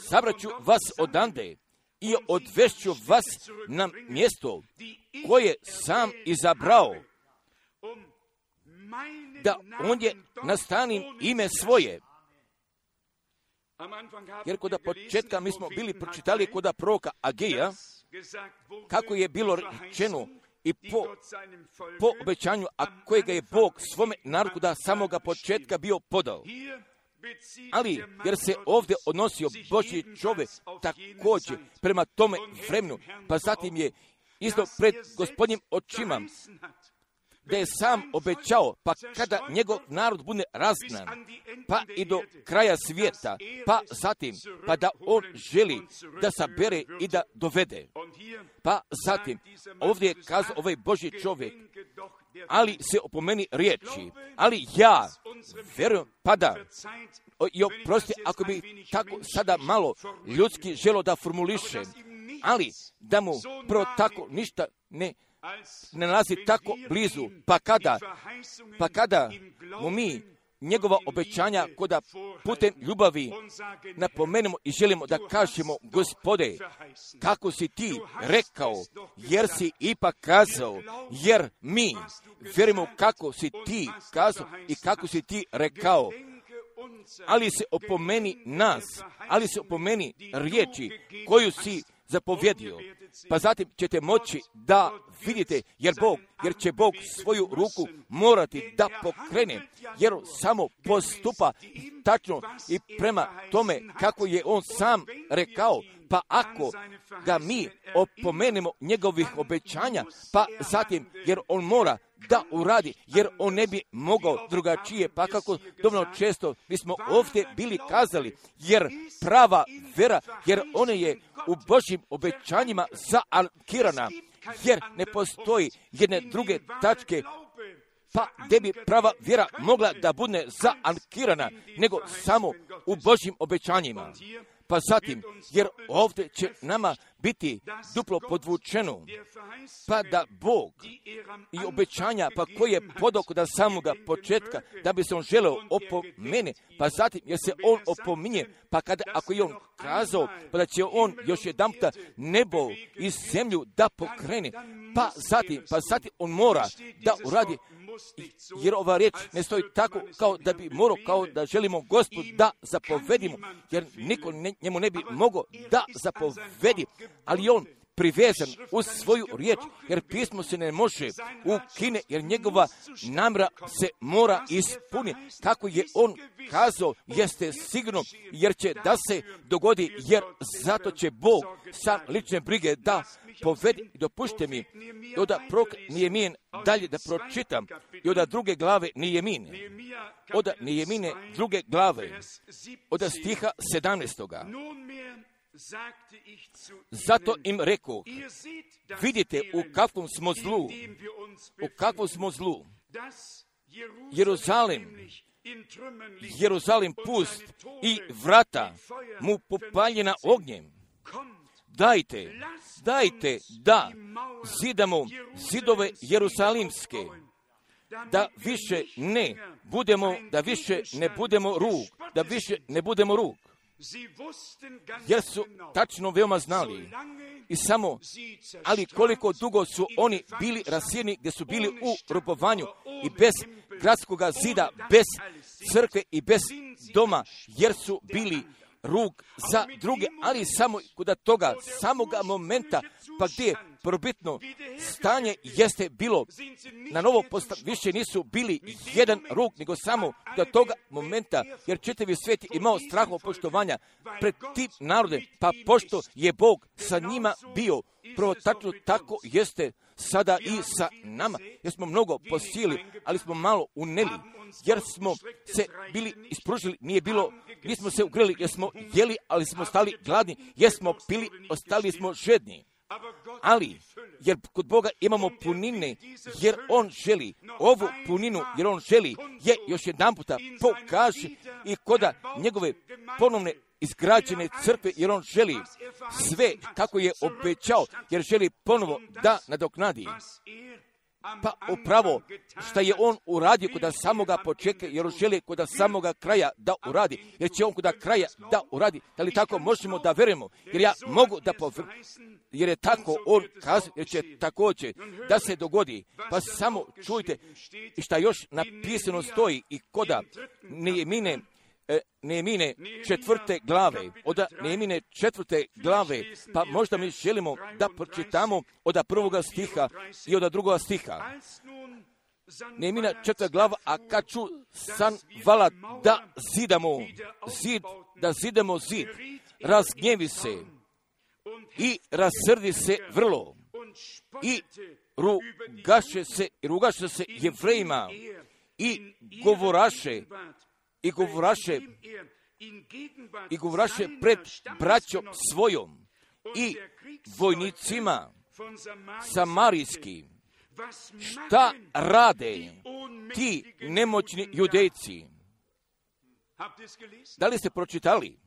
sabraću vas odande i odvešću vas na mjesto koje sam izabrao, da ondje nastanim ime svoje. Jer kod početka mi smo bili pročitali kod proroka Ageja, kako je bilo rečeno i po obećanju, a kojega je Bog svome narodu da samoga početka bio podao. Ali, jer se ovdje odnosio Božji čovjek također prema tome vremenu, pa zatim je isto pred Gospodnjim očima, da je sam obećao, pa kada njegov narod bude razgnan, pa i do kraja svijeta, pa zatim, pa da on želi da sabere i da dovede. Pa zatim, ovdje je kazao ovaj Božji čovjek, ali se opomeni riječi, ali ja vjerujem, i oprosti ako bi tako sada malo ljudski želo da formulišem, ali da mu prvo tako ništa ne nalazi tako blizu, pa kada mu mi njegova obećanja koda putem ljubavi napomenemo i želimo da kažemo, Gospode, kako si ti rekao, jer si ipak kazao, jer mi vjerujemo kako si ti kazao i kako si ti rekao. ali se opomeni nas, ali se opomeni riječi koju si zapovjedio. Pa zatim ćete moći da vidite, jer će Bog svoju ruku morati da pokrene, jer samo postupa tačno i prema tome kako je on sam rekao. Pa ako ga mi opomenemo njegovih obećanja, pa zatim, jer on mora da uradi, jer on ne bi mogao drugačije, pa kako dovoljno često mi smo ovdje bili kazali, jer prava vera, jer ona je u Božjim obećanjima zaankirana, jer ne postoji jedne druge tačke, pa gdje bi prava vjera mogla da bude zaankirana, nego samo u Božjim obećanjima. Pa zatim, jer ovdje će nama biti duplo podvučeno, pa da Bog i obećanja, pa koje je podao da samoga početka, da bi se on želeo opomene, pa zatim, jer se on opominje, pa ako je on kazao, pa da će on još jedanputa nebo i zemlju da pokrene, pa zatim on mora da uradi, jer ova riječ ne stoji tako kao da bi morao, kao da želimo Gospod da zapovedimo, jer niko njemu ne bi mogao da zapovedi, ali on privezan uz svoju riječ, jer pismo se ne može ukine, jer njegova namjera se mora ispuniti. Kako je on kazao, jeste sigurno, jer će da se dogodi, jer zato će Bog sa lične brige da povedi. Dopušte mi, i od Nijemijen dalje da pročitam, i od druge glave Nijemine, od Nijemine druge glave, od stiha 17. Zato im rekoh, vidite u kakvom smo zlu, Jeruzalem pust i vrata mu popaljena ognjem. Dajte da zidamo zidove Jerusalimske, da više ne budemo rug. Jer su tačno veoma znali i samo, ali koliko dugo su oni bili rasijeni, gdje su bili u robovanju i bez gradskog zida, bez crkve i bez doma, jer su bili rug za druge, ali samo kod toga samoga momenta, pa gdje je probitno stanje jeste bilo na novo više nisu bili jedan rug, nego samo do toga momenta, jer čitavi svijet imao straho poštovanja pred tim narodem, pa pošto je Bog sa njima bio, prvo tačno tako jeste sada i sa nama, jer smo mnogo posijeli, ali smo malo uneli, jer smo se bili ispružili, nismo se ugreli, jer smo jeli, ali smo stali gladni, jer smo pili, ostali smo žedni. Ali, jer kod Boga imamo punine, jer On želi ovu puninu, jer On želi je još jedan puta pokaže i koda njegove ponovne izgrađene crkve, jer On želi sve kako je obećao, jer želi ponovo da nadoknadi. Pa upravo što je on uradio kod samoga početka, jer on želi kod samoga kraja da uradi, jer će on kod kraja da uradi. Da li tako možemo da verujemo? Jer ja mogu da jer je tako on kazao, jer će također da se dogodi. Pa samo čujte i šta još napisano stoji i koda Nehemine 4. glave, od Nehemine 4. glave, pa možda mi želimo da pročitamo od 1. stiha i od 2. stiha. Nehemina 4. glava, a kad ću Sanbalat da zidamo zid, razgnjevi se i rasrdi se vrlo i rugaše se Jevrejima i govoraše pred braćom svojom i vojnicima samarijskim, šta rade ti nemoćni Judejci? Da li ste pročitali?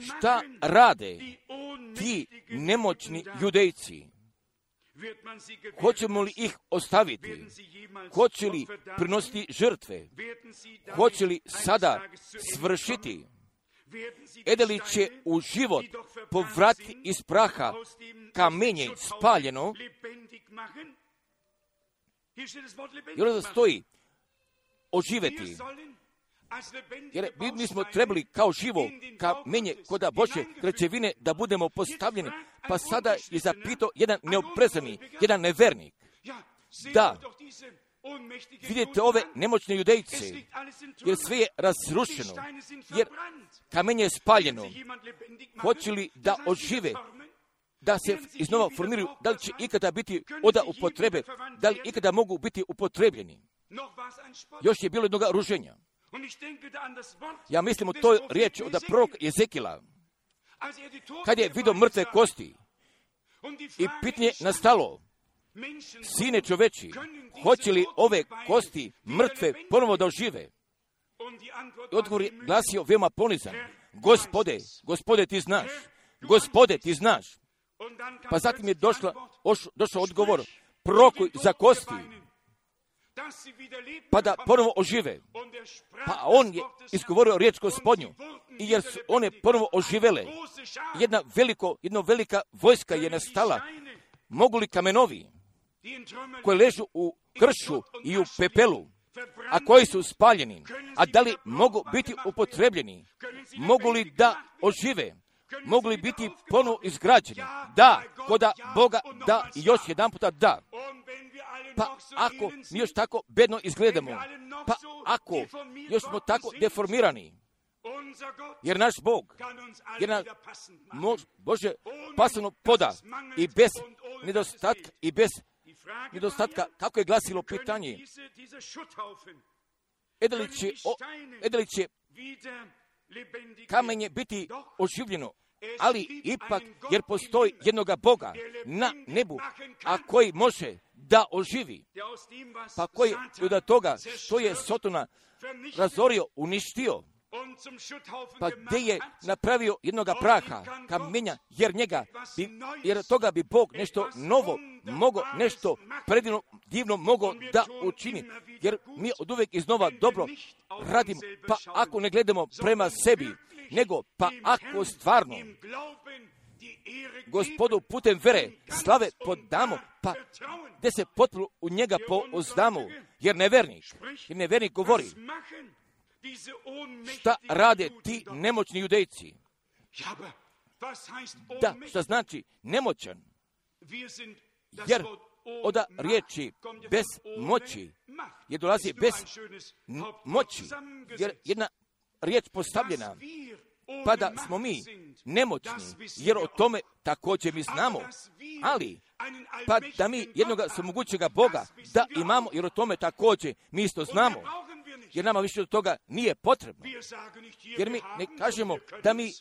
Šta rade ti nemoćni Judejci? Hoćemo li ih ostaviti? Hoće li prinositi žrtve? Hoće li sada svršiti? Li će u život povratiti iz praha kamenje spaljeno? I onda stoji oživeti. Jer mi smo trebali kao živo kamenje koda Božje građevine da budemo postavljeni. Pa sada je zapitao jedan neoprezani, jedan nevernik. Da, vidite ove nemoćne Judejce, jer sve je razrušeno, jer kamenje je spaljeno. Hoće li da ožive, da se iznova formiraju, da li će ikada biti oda upotrebe, da li ikada mogu biti upotrebljeni? Još je bilo jednoga ruženja. Ja mislim o toj riječi od proroka Jezekila, kad je vidio mrtve kosti i pitanje nastalo, sine čoveči, hoće li ove kosti mrtve ponovo da ožive? I odgovor je glasio veoma ponizan. Gospode ti znaš. Gospode ti znaš. Pa zatim je došao odgovor, prorokuj za kosti, pa da ponovo ožive. Pa on je izgovorio riječ Gospodnju, i jer su one ponovo oživele. Jedna velika vojska je nastala. Mogu li kamenovi koji ležu u kršu i u pepelu, a koji su spaljeni, a da li mogu biti upotrebljeni? Mogu li da ožive? Mogu li biti ponovo izgrađeni? Da, koda Boga da i još jedan puta da. Pa ako mi još tako bedno izgledamo, pa ako još smo tako deformirani, jer naš Bog, jer nam Bože pasano poda i bez nedostatka, kako je glasilo pitanje, edeli će kamenje biti oživljeno, ali ipak, jer postoji jednoga Boga na nebu, a koji može da oživi, pa koji od toga što je Sotona razorio, uništio, pa gdje je napravio jednoga praha, kamenja, jer toga bi Bog nešto novo mogao, nešto predivno, divno mogao da učini, jer mi od uvijek iznova dobro radimo, pa ako ne gledamo prema sebi, nego pa ako stvarno Gospodu putem vere slave podamo, pa gdje se potpuno u njega pouzdamo, jer nevernik govori, šta rade ti nemoćni Judejci? Da, šta znači nemoćan? Jer od riječi bez moći je dolazi bez moći, jer jedna riječ postavljena, pa da smo mi nemoćni, jer o tome također mi znamo, ali pa da mi jednoga svemogućega Boga da imamo, jer o tome također mi isto znamo, jer nama više od toga nije potrebno, jer mi ne kažemo da mi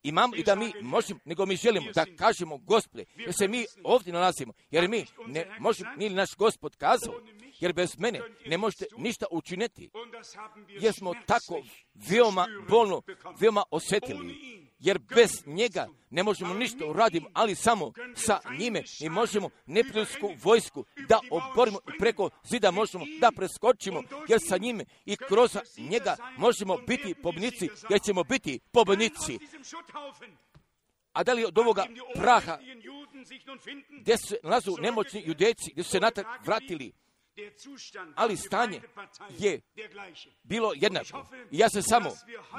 imamo i da mi možemo, nego mi želimo da kažemo Gospode, jer se mi ovdje nalazimo, jer mi ne možemo, nije naš Gospod kazao, jer bez mene ne možete ništa učiniti, jer smo tako veoma bolno, veoma osjetili, jer bez njega ne možemo ništa uraditi, ali samo sa njime mi možemo neprijateljsku vojsku da oborimo i preko zida možemo da preskočimo, jer sa njime i kroz njega možemo biti pobjednici, jer ćemo biti pobjednici. A da li od ovoga praha gdje se nalazu nemoćni Judejci, gdje su se natrag vratili, ali stanje je bilo jednako. I ja se samo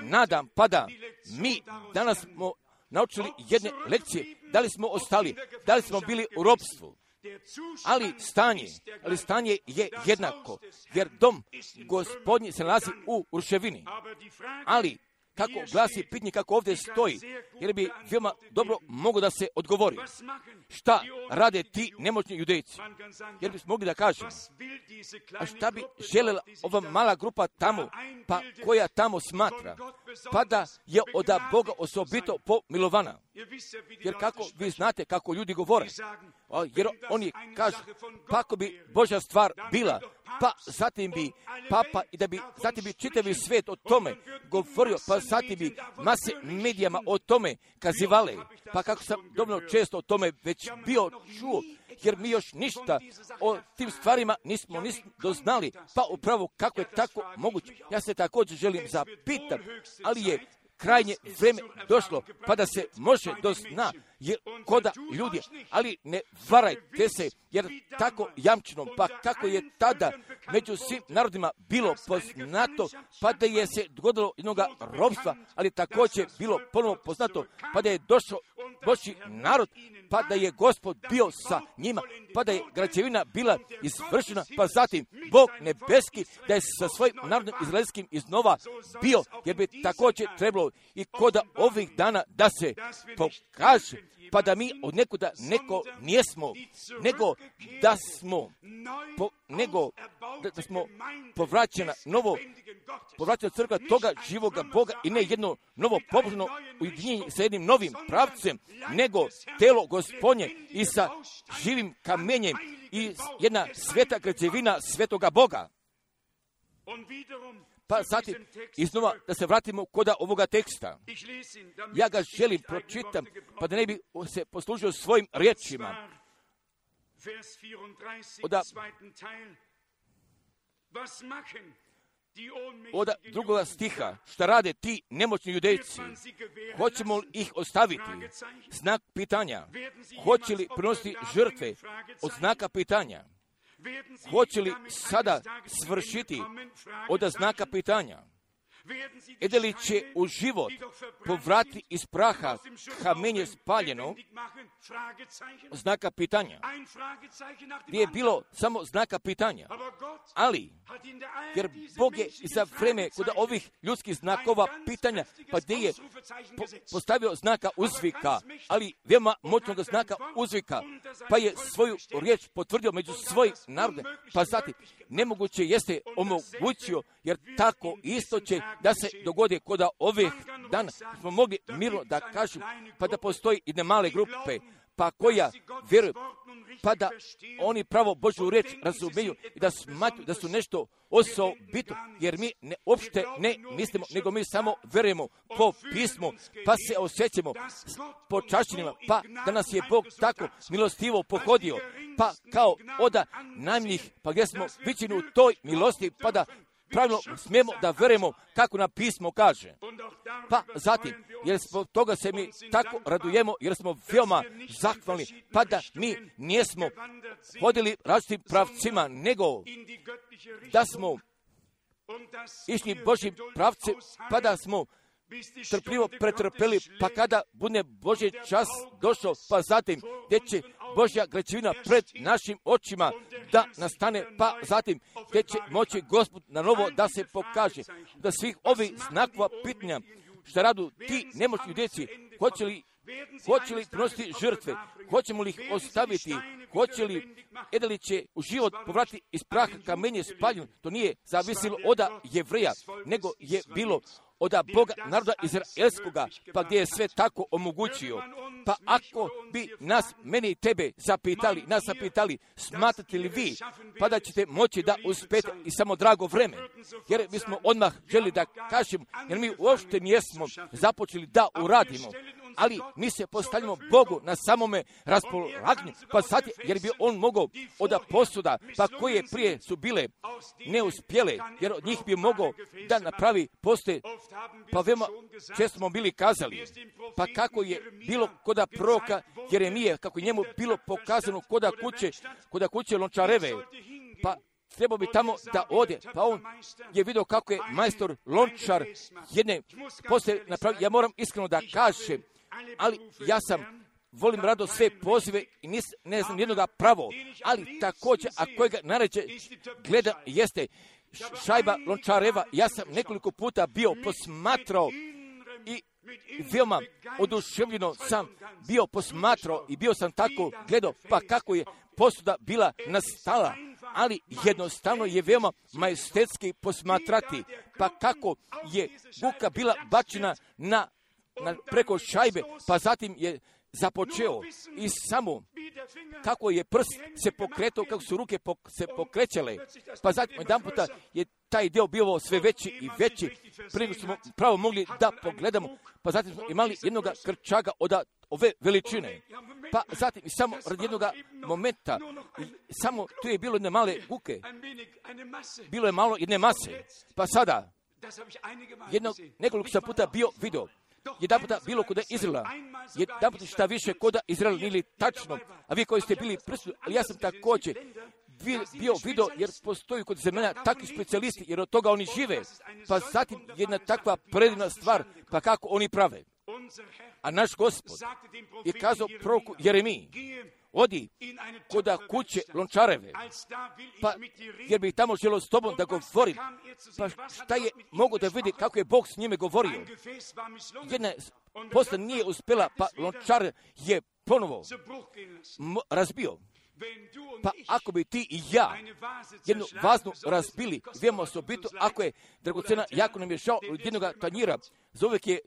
nadam, pa da mi danas smo naučili jedne lekcije, da li smo ostali, da li smo bili u ropstvu, ali stanje je jednako, jer dom Gospodnji se nalazi u ruševini. Ali kako glasi pitanje, kako ovdje stoji, jer bi veoma dobro mogo da se odgovori. Šta rade ti nemoćni Judejci? Jer bi mogli da kažemo, a šta bi željela ova mala grupa tamo, pa koja tamo smatra, pa da je od Boga osobito pomilovana. Jer kako vi znate kako ljudi govore, jer oni kažu, pa ako bi Božja stvar bila, pa zatim bi papa i da bi zatim bi čitavi svijet o tome govorio, pa zatim bi mase medijama o tome kazivale, pa kako sam dovoljno često o tome već bio čuo, jer mi još ništa o tim stvarima nismo doznali, pa upravo kako je tako moguće. Ja se također želim zapitati, ali je krajnje vreme došlo, pa da se može do sna, jer koda ljudi, ali ne varajte se, jer tako jamčeno, pa kako je tada među svim narodima bilo poznato, pa da je se dogodilo jednoga robstva, ali također bilo ponovo poznato, pa da je došao Božji narod, pa da je Gospod bio sa njima, pa da je građevina bila izvršena, pa zatim Bog nebeski da je sa svojim narodom izraelskim iznova bio, jer bi također trebalo i koda ovih dana da se pokaže, pa da mi od nekuda neko nijesmo, nego da smo da smo povraćena crkva toga živoga Boga i ne jedno novo pobožno ujedinjenje sa jednim novim pravcem, nego telo Gospodnje i sa živim kamenjem i jedna sveta građevina svetoga Boga. Pa zatim, iznova da se vratimo koda ovoga teksta. Ja ga želim pročitam, pa da ne bi se poslužio svojim riječima. Od drugoga stiha, šta rade ti nemoćni judejci? Hoćemo li ih ostaviti? Znak pitanja. Hoće li prinositi žrtve? Od znaka pitanja. Hoće li sada svršiti od znaka pitanja? Ede li će u život povrati iz praha kamenje spaljeno? Znaka pitanja. Gdje je bilo samo znaka pitanja. Ali, jer Bog je za vreme kod ovih ljudskih znakova pitanja, pa gdje je postavio znaka uzvika, ali veoma moćnog znaka uzvika, pa je svoju riječ potvrdio među svojim narode, pa zatim nemoguće jeste omogućio, jer tako isto će da se dogodi kod ovih dana. Smo mogli mirno da kažem, pa da postoji jedne male grupe, pa koja vjeruju, pa da oni pravo Božju riječ razumiju i da smatruju da su nešto osobito, jer mi uopšte ne mislimo, nego mi samo vjerujemo po pismu, pa se osjećamo počašćenima, pa da nas je Bog tako milostivo pohodio, pa kao oda najmnijih, pa gdje smo viđeni u toj milosti, pa da pravilno smijemo da vjerujemo kako nam pismo kaže. Pa zatim, jer zbog toga se mi tako radujemo, jer smo veoma zahvalni, pa da mi nijesmo hodili različitim pravcima, nego da smo išli Božjim pravcem, pa da smo trpljivo pretrpeli, pa kada bude Božji čas došao, pa zatim gdje će Božja građevina pred našim očima da nastane, pa zatim gdje će moći Gospod na novo da se pokaže. Da svih ovih znakova pitanja što radu ti nemoćni djeci, hoće li prinositi žrtve, hoćemo li ih ostaviti, hoće li li će u život povratiti iz praha kamenje spaljeno, to nije zavisilo od Jevreja, nego je bilo od Boga naroda izraelskoga, pa gdje je sve tako omogućio. Pa ako bi mene i tebe zapitali, smatrate li vi, pa da ćete moći da uspete i samo drago vreme, jer bismo odmah želi da kažemo, jer mi uopšte nijesmo započeli da uradimo, ali mi se postavljamo Bogu na samome raspolaganju, pa sad, jer bi on mogao od posuda, pa koje prije su bile neuspjele, jer od njih bi mogao da napravi postoje, pa veoma često smo bili kazali, pa kako je bilo koda proroka Jeremije, kako je njemu bilo pokazano koda kuće Lončareve, pa trebao bi tamo da ode, pa on je vidio kako je majstor Lončar jedne poslije napravio. Ja moram iskreno da kažem, ali ja volim rado sve pozive i ne znam jednoga pravo, ali također, a kojega naređe gleda jeste šajba Lončareva. Ja sam nekoliko puta bio posmatrao i veoma oduševljeno sam bio posmatrao i bio sam tako gledao, pa kako je posuda bila nastala, ali jednostavno je veoma majestetski posmatrati, pa kako je buka bila bačena na preko šajbe, pa zatim je započeo i samo kako je prst se pokretao, kako su ruke se pokrećale, pa zatim jedan puta je taj dio bio sve veći i veći, prije smo pravo mogli da pogledamo, pa zatim smo imali jednog krčaga od ove veličine, pa zatim samo radi jednog momenta, samo tu je bilo jedne male guke, bilo je malo jedne mase, pa sada Nekoliko sam puta bio video. Jedan puta bilo kod Izraela. Jedan puta šta više kod Izraela nije tačno. A vi koji ste bili prisutni, ali ja sam također bio video, jer postoji kod zemalja takvi specijalisti, jer od toga oni žive. Pa zatim jedna takva predivna stvar, pa kako oni prave. A naš Gospod je kazao proroku Jeremiji, odi kod kuće Lončareve, pa jer bih tamo želio s tobom da govorim. Pa šta je mogo da vidi kako je Bog s njime govorio? Jedna posla nije uspjela, pa Lončar je ponovo razbio. Pa ako bi ti i ja jednu vaznu razbili, vijemo osobitu, ako je dragocena, jako nam je žao od jednog tanjira, za uvijek je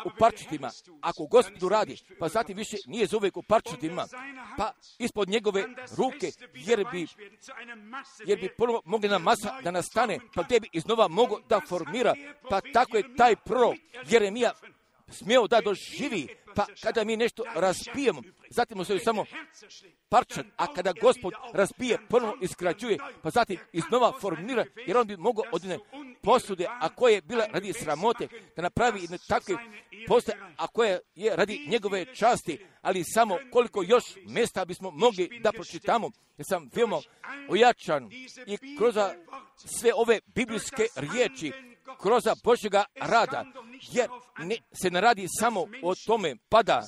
u parčetima. Ako Gospodu radi, pa zatim više nije za uvijek u parčetima, pa ispod njegove ruke, jer bi ponovo mogli na masa da nastane, pa gdje bi iznova mogo da formira, pa tako je taj prorok Jeremija smio da doživi, pa kada mi nešto razbijemo, zatim se samo parčat, a kada Gospod razbije, ponovno iskrađuje, pa zatim iznova formira, jer on bi mogao od jedne posude, a koje je bila radi sramote, da napravi jedne takve posude, a koje je radi njegove časti, ali samo koliko još mjesta bismo mogli da pročitamo, jer sam veoma ojačan i kroz sve ove biblijske riječi, kroz Božjega rada, jer se ne radi samo o tome, pa da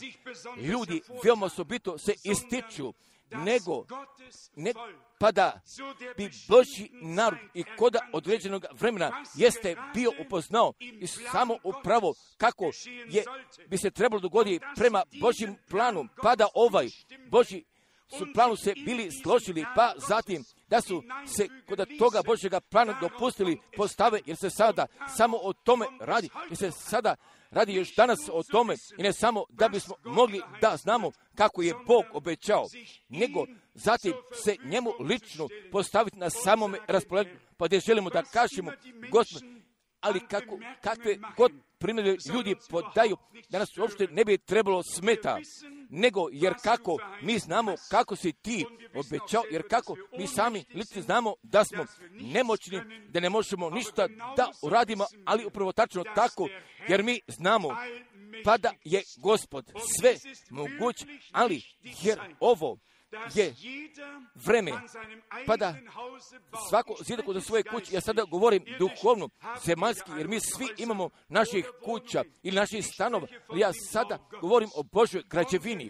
ljudi veoma osobito se ističu, nego pa da bi Božji narod i kod određenog vremena jeste bio upoznao i samo upravo kako bi se trebalo dogoditi prema Božjim planu, pa da Božji su planu se bili složili, pa zatim da su se kod toga Božjega plana dopustili postave, jer se sada samo o tome radi, jer se sada radi još danas o tome, i ne samo da bismo mogli da znamo kako je Bog obećao, nego zatim se njemu lično postaviti na samome raspolaganju, pa gdje želimo da kažemo, Gospod, ali kakve god primjere ljudi podaju, da nas uopšte ne bi trebalo smeta, nego jer kako mi znamo kako si ti obećao, jer kako mi sami lično znamo da smo nemoćni, da ne možemo ništa da uradimo, ali upravo tačno tako, jer mi znamo pa da je Gospod sve moguć, ali jer ovo je vreme, pa da svako zida kod svoje kuće, ja sada govorim duhovno, zemaljski, jer mi svi imamo naših kuća ili naših stanova, ja sada govorim o Božoj građevini,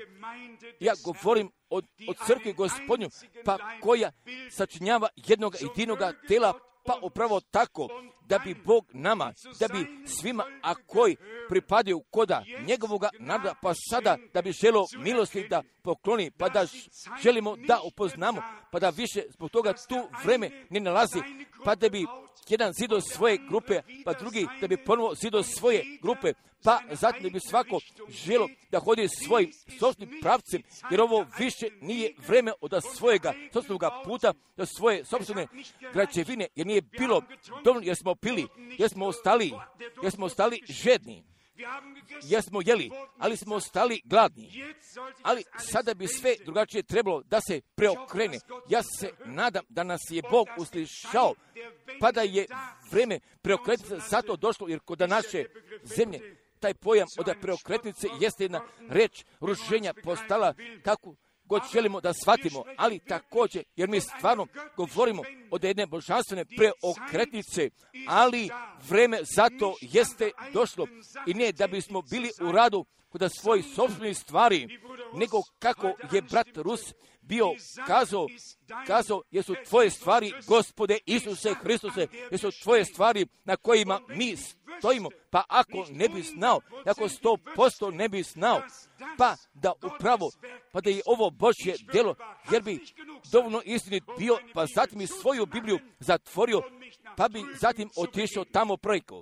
ja govorim o crkvi Gospodnju, pa koja sačinjava jednog jedinoga tela, pa upravo tako, da bi Bog nama, da bi svima, a koji pripadaju koda njegovoga naroda, pa sada da bi želio milosti da pokloni, pa da želimo da upoznamo, pa da više zbog toga tu vreme ne nalazi, pa da bi jedan zido svoje grupe, pa drugi da bi ponovo zido svoje grupe, pa zatim da bi svako želo da hodi svojim sopstvenim pravcem, jer ovo više nije vreme od svojega sopstvenog puta, do svoje sopstvene građevine, jer nije bilo dovoljno, jer smo pili, jer smo ostali žedni, jer smo jeli, ali smo ostali gladni. Ali sada bi sve drugačije trebalo da se preokrene. Ja se nadam da nas je Bog uslišao, pa da je vreme preokretnice zato došlo, jer kod naše zemlje taj pojam od preokretnice jeste jedna reč rušenja postala kako god želimo da shvatimo, ali također, jer mi stvarno govorimo od jedne božanstvene preokretnice, ali vreme zato jeste došlo i ne da bismo bili u radu kod svojih sopstvenih stvari, nego kako je brat Rus bio kazao, jesu tvoje stvari, Gospode Isuse Hristuse, jesu tvoje stvari na kojima mi stojimo, pa ako ne bi znao, ako 100% ne bi znao, pa da upravo, pa da je ovo Božje djelo, jer bi dovoljno istinit bio, pa zatim bi svoju Bibliju zatvorio, pa bi zatim otišao tamo preko.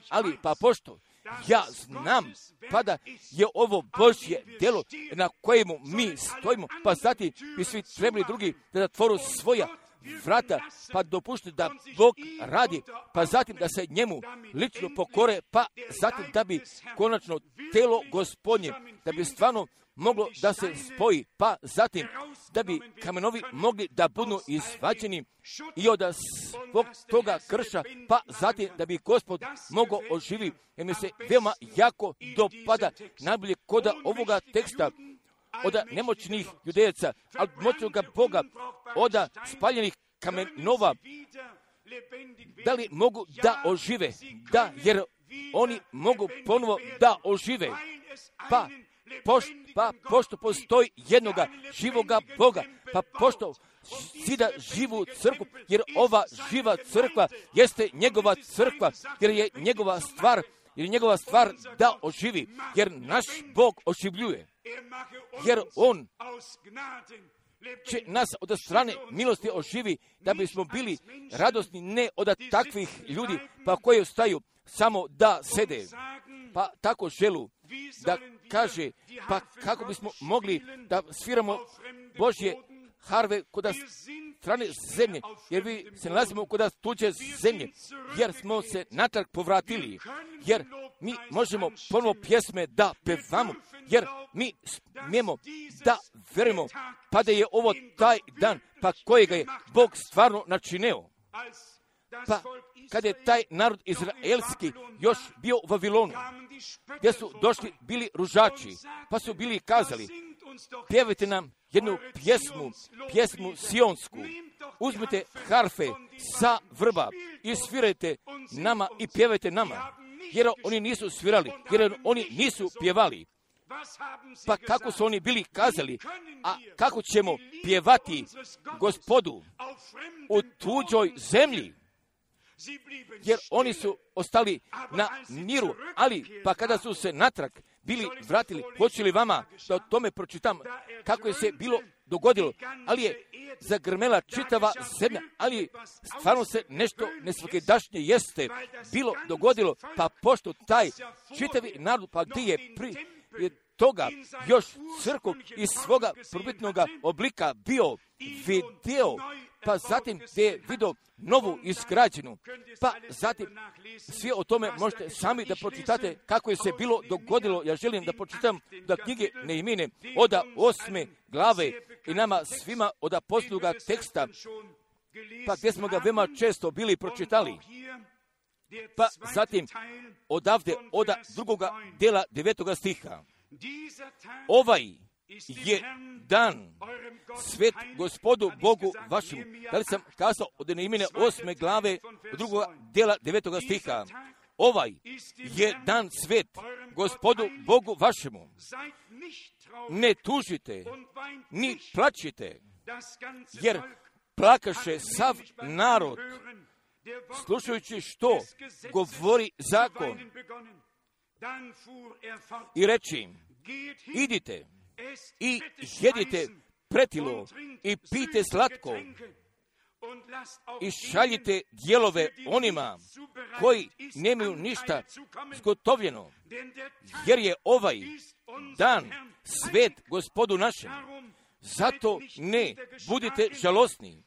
Ali pa pošto ja znam, pa da je ovo Božje djelo na kojemu mi stojimo, pa zatim bi svi trebali drugi da zatvoru svoja vrata, pa dopušti da Bog radi, pa zatim da se njemu lično pokore, pa zatim da bi konačno telo Gospodnje, da bi stvarno moglo da se spoji, pa zatim da bi kamenovi mogli da budu izvađeni i od svog toga krša, pa zatim da bi Gospod mogao oživi. Jer mi se veoma jako dopada najbolje kod ovoga teksta od nemoćnih judejaca, od moćnoga Boga, od spaljenih kamenova. Da li mogu da ožive? Da, jer oni mogu ponovo da ožive. Pa pošto postoji jednoga živoga Boga, pa pošto zida živu crkvu, jer ova živa crkva jeste njegova crkva, jer je njegova stvar da oživi, jer naš Bog oživljuje, jer On će nas od strane milosti oživi, da bismo bili radosni, ne od takvih ljudi, pa koji ostaju samo da sede, pa tako želu da kaže, pa kako bismo mogli da sviramo Božje harve kod strane zemlje, jer vi se nalazimo kod tuđe zemlje, jer smo se natrag povratili, jer mi možemo ponovo pjesme da pevamo, jer mi smijemo da verujemo, pa da je ovo taj dan, pa kojega je Bog stvarno načineo. Pa kad je taj narod izraelski još bio u Vavilonu, gdje su došli bili ružači, pa su bili kazali, pjevajte nam jednu pjesmu sionsku, uzmite harfe sa vrba i svirajte nama i pjevajte nama, jer oni nisu svirali, jer oni nisu pjevali. Pa kako su oni bili kazali, a kako ćemo pjevati Gospodu u tuđoj zemlji? Jer oni su ostali na miru, ali pa kada su se natrag bili vratili, hoće li vama da o tome pročitam kako je se bilo dogodilo, ali je zagrmela čitava zemlja, ali stvarno se nešto nesvakidašnje jeste bilo dogodilo, pa pošto taj čitavi narod, pa gdje je prije toga još crkvu iz svoga prvobitnog oblika bio video, pa zatim gdje je vidio novu izgrađenu, pa zatim svi o tome možete sami da pročitate kako je se bilo dogodilo. Ja želim da pročitam da knjige Nehemine od 8. glave i nama svima od apostolskoga teksta, pa gdje smo ga veoma često bili pročitali. Pa zatim odavde od 2. dela 9. stiha. Ovaj je dan svet Gospodu Bogu vašemu. Da li sam kazao od Nehemine 8. glave 2. dela 9. stiha? Ovaj je dan svet Gospodu Bogu vašemu. Ne tužite, ni plačite, jer plakaše sav narod, slušajući što govori zakon. I reći im, idite i jedite pretilo i pijte slatko i šaljite dijelove onima koji nemaju ništa zgotovljeno, jer je ovaj dan svet Gospodu našem. Zato ne budite žalosni,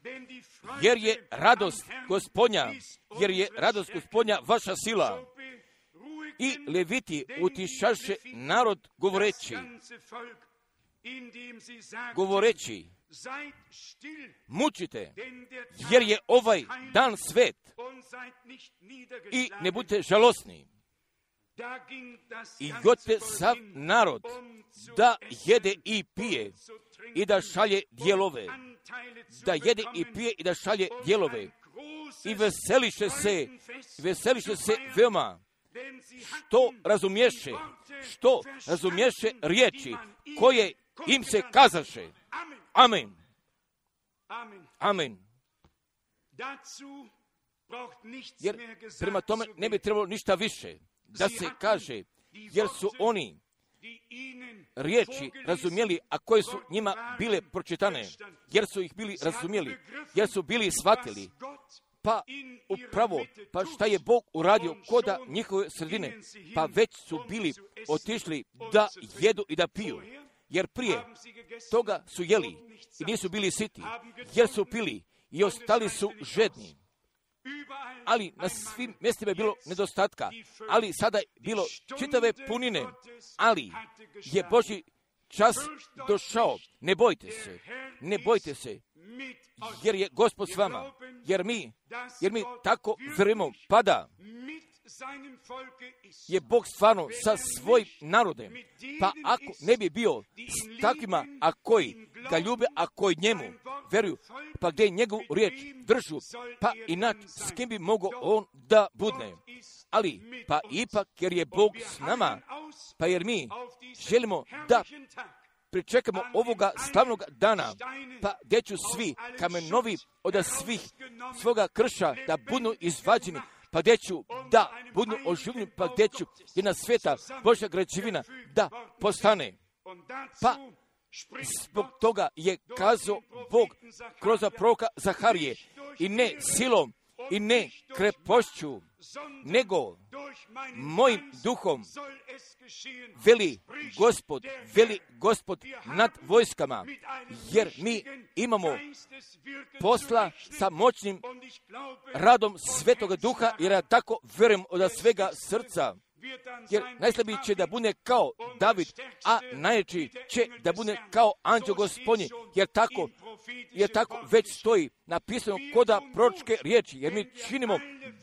jer je radost Gospodnja vaša sila. I Leviti utišaše narod govoreći, mučite, jer je ovaj dan svet, i ne budite žalosni. I godite sav narod da jede i pije i da šalje dijelove. Da jede i pije i da šalje dijelove. I veseliše se veoma. Što razumješe riječi koje im se kazaše. Amen. Amen. Jer prema tome ne bi trebalo ništa više da se kaže, jer su oni riječi razumjeli, a koje su njima bile pročitane, jer su ih bili razumjeli, jer su bili shvatili, pa upravo, pa šta je Bog uradio koda njihove sredine, pa već su bili otišli da jedu i da piju, jer prije toga su jeli i nisu bili siti, jer su pili i ostali su žedni. Ali na svim mjestima je bilo nedostatka, ali sada je bilo čitave punine, ali je Božji čas došao. Ne bojte se, jer je Gospod s vama, jer mi tako vjerujemo, da je Bog stvarno sa svojim narodem. Pa ako ne bi bio s takvima, a koji ga ljube, a koji njemu vjeruju, pa gdje njegovu riječ držu, pa inače s kim bi mogao on da budne. Ali, pa ipak, jer je Bog s nama, pa jer mi želimo da pričekamo ovoga slavnog dana, pa gdje ću svi kamenovi od svih svoga krša da budu izvađeni, pa gdje ću da budu oživljeni, pa gdje ću jedna sveta Božja građevina da postane. Pa zbog toga je kazao Bog kroz proroka Zaharije, i ne silom i ne krepošću, nego mojim duhom, veli Gospod nad vojskama, jer mi imamo posla sa moćnim radom Svetoga Duha, jer ja tako vjerujem od svega srca. Jer najslabiji će da bude kao David, a najjači će da bude kao anđeo Gospodnji, jer tako već stoji napisano koda proročke riječi, jer mi činimo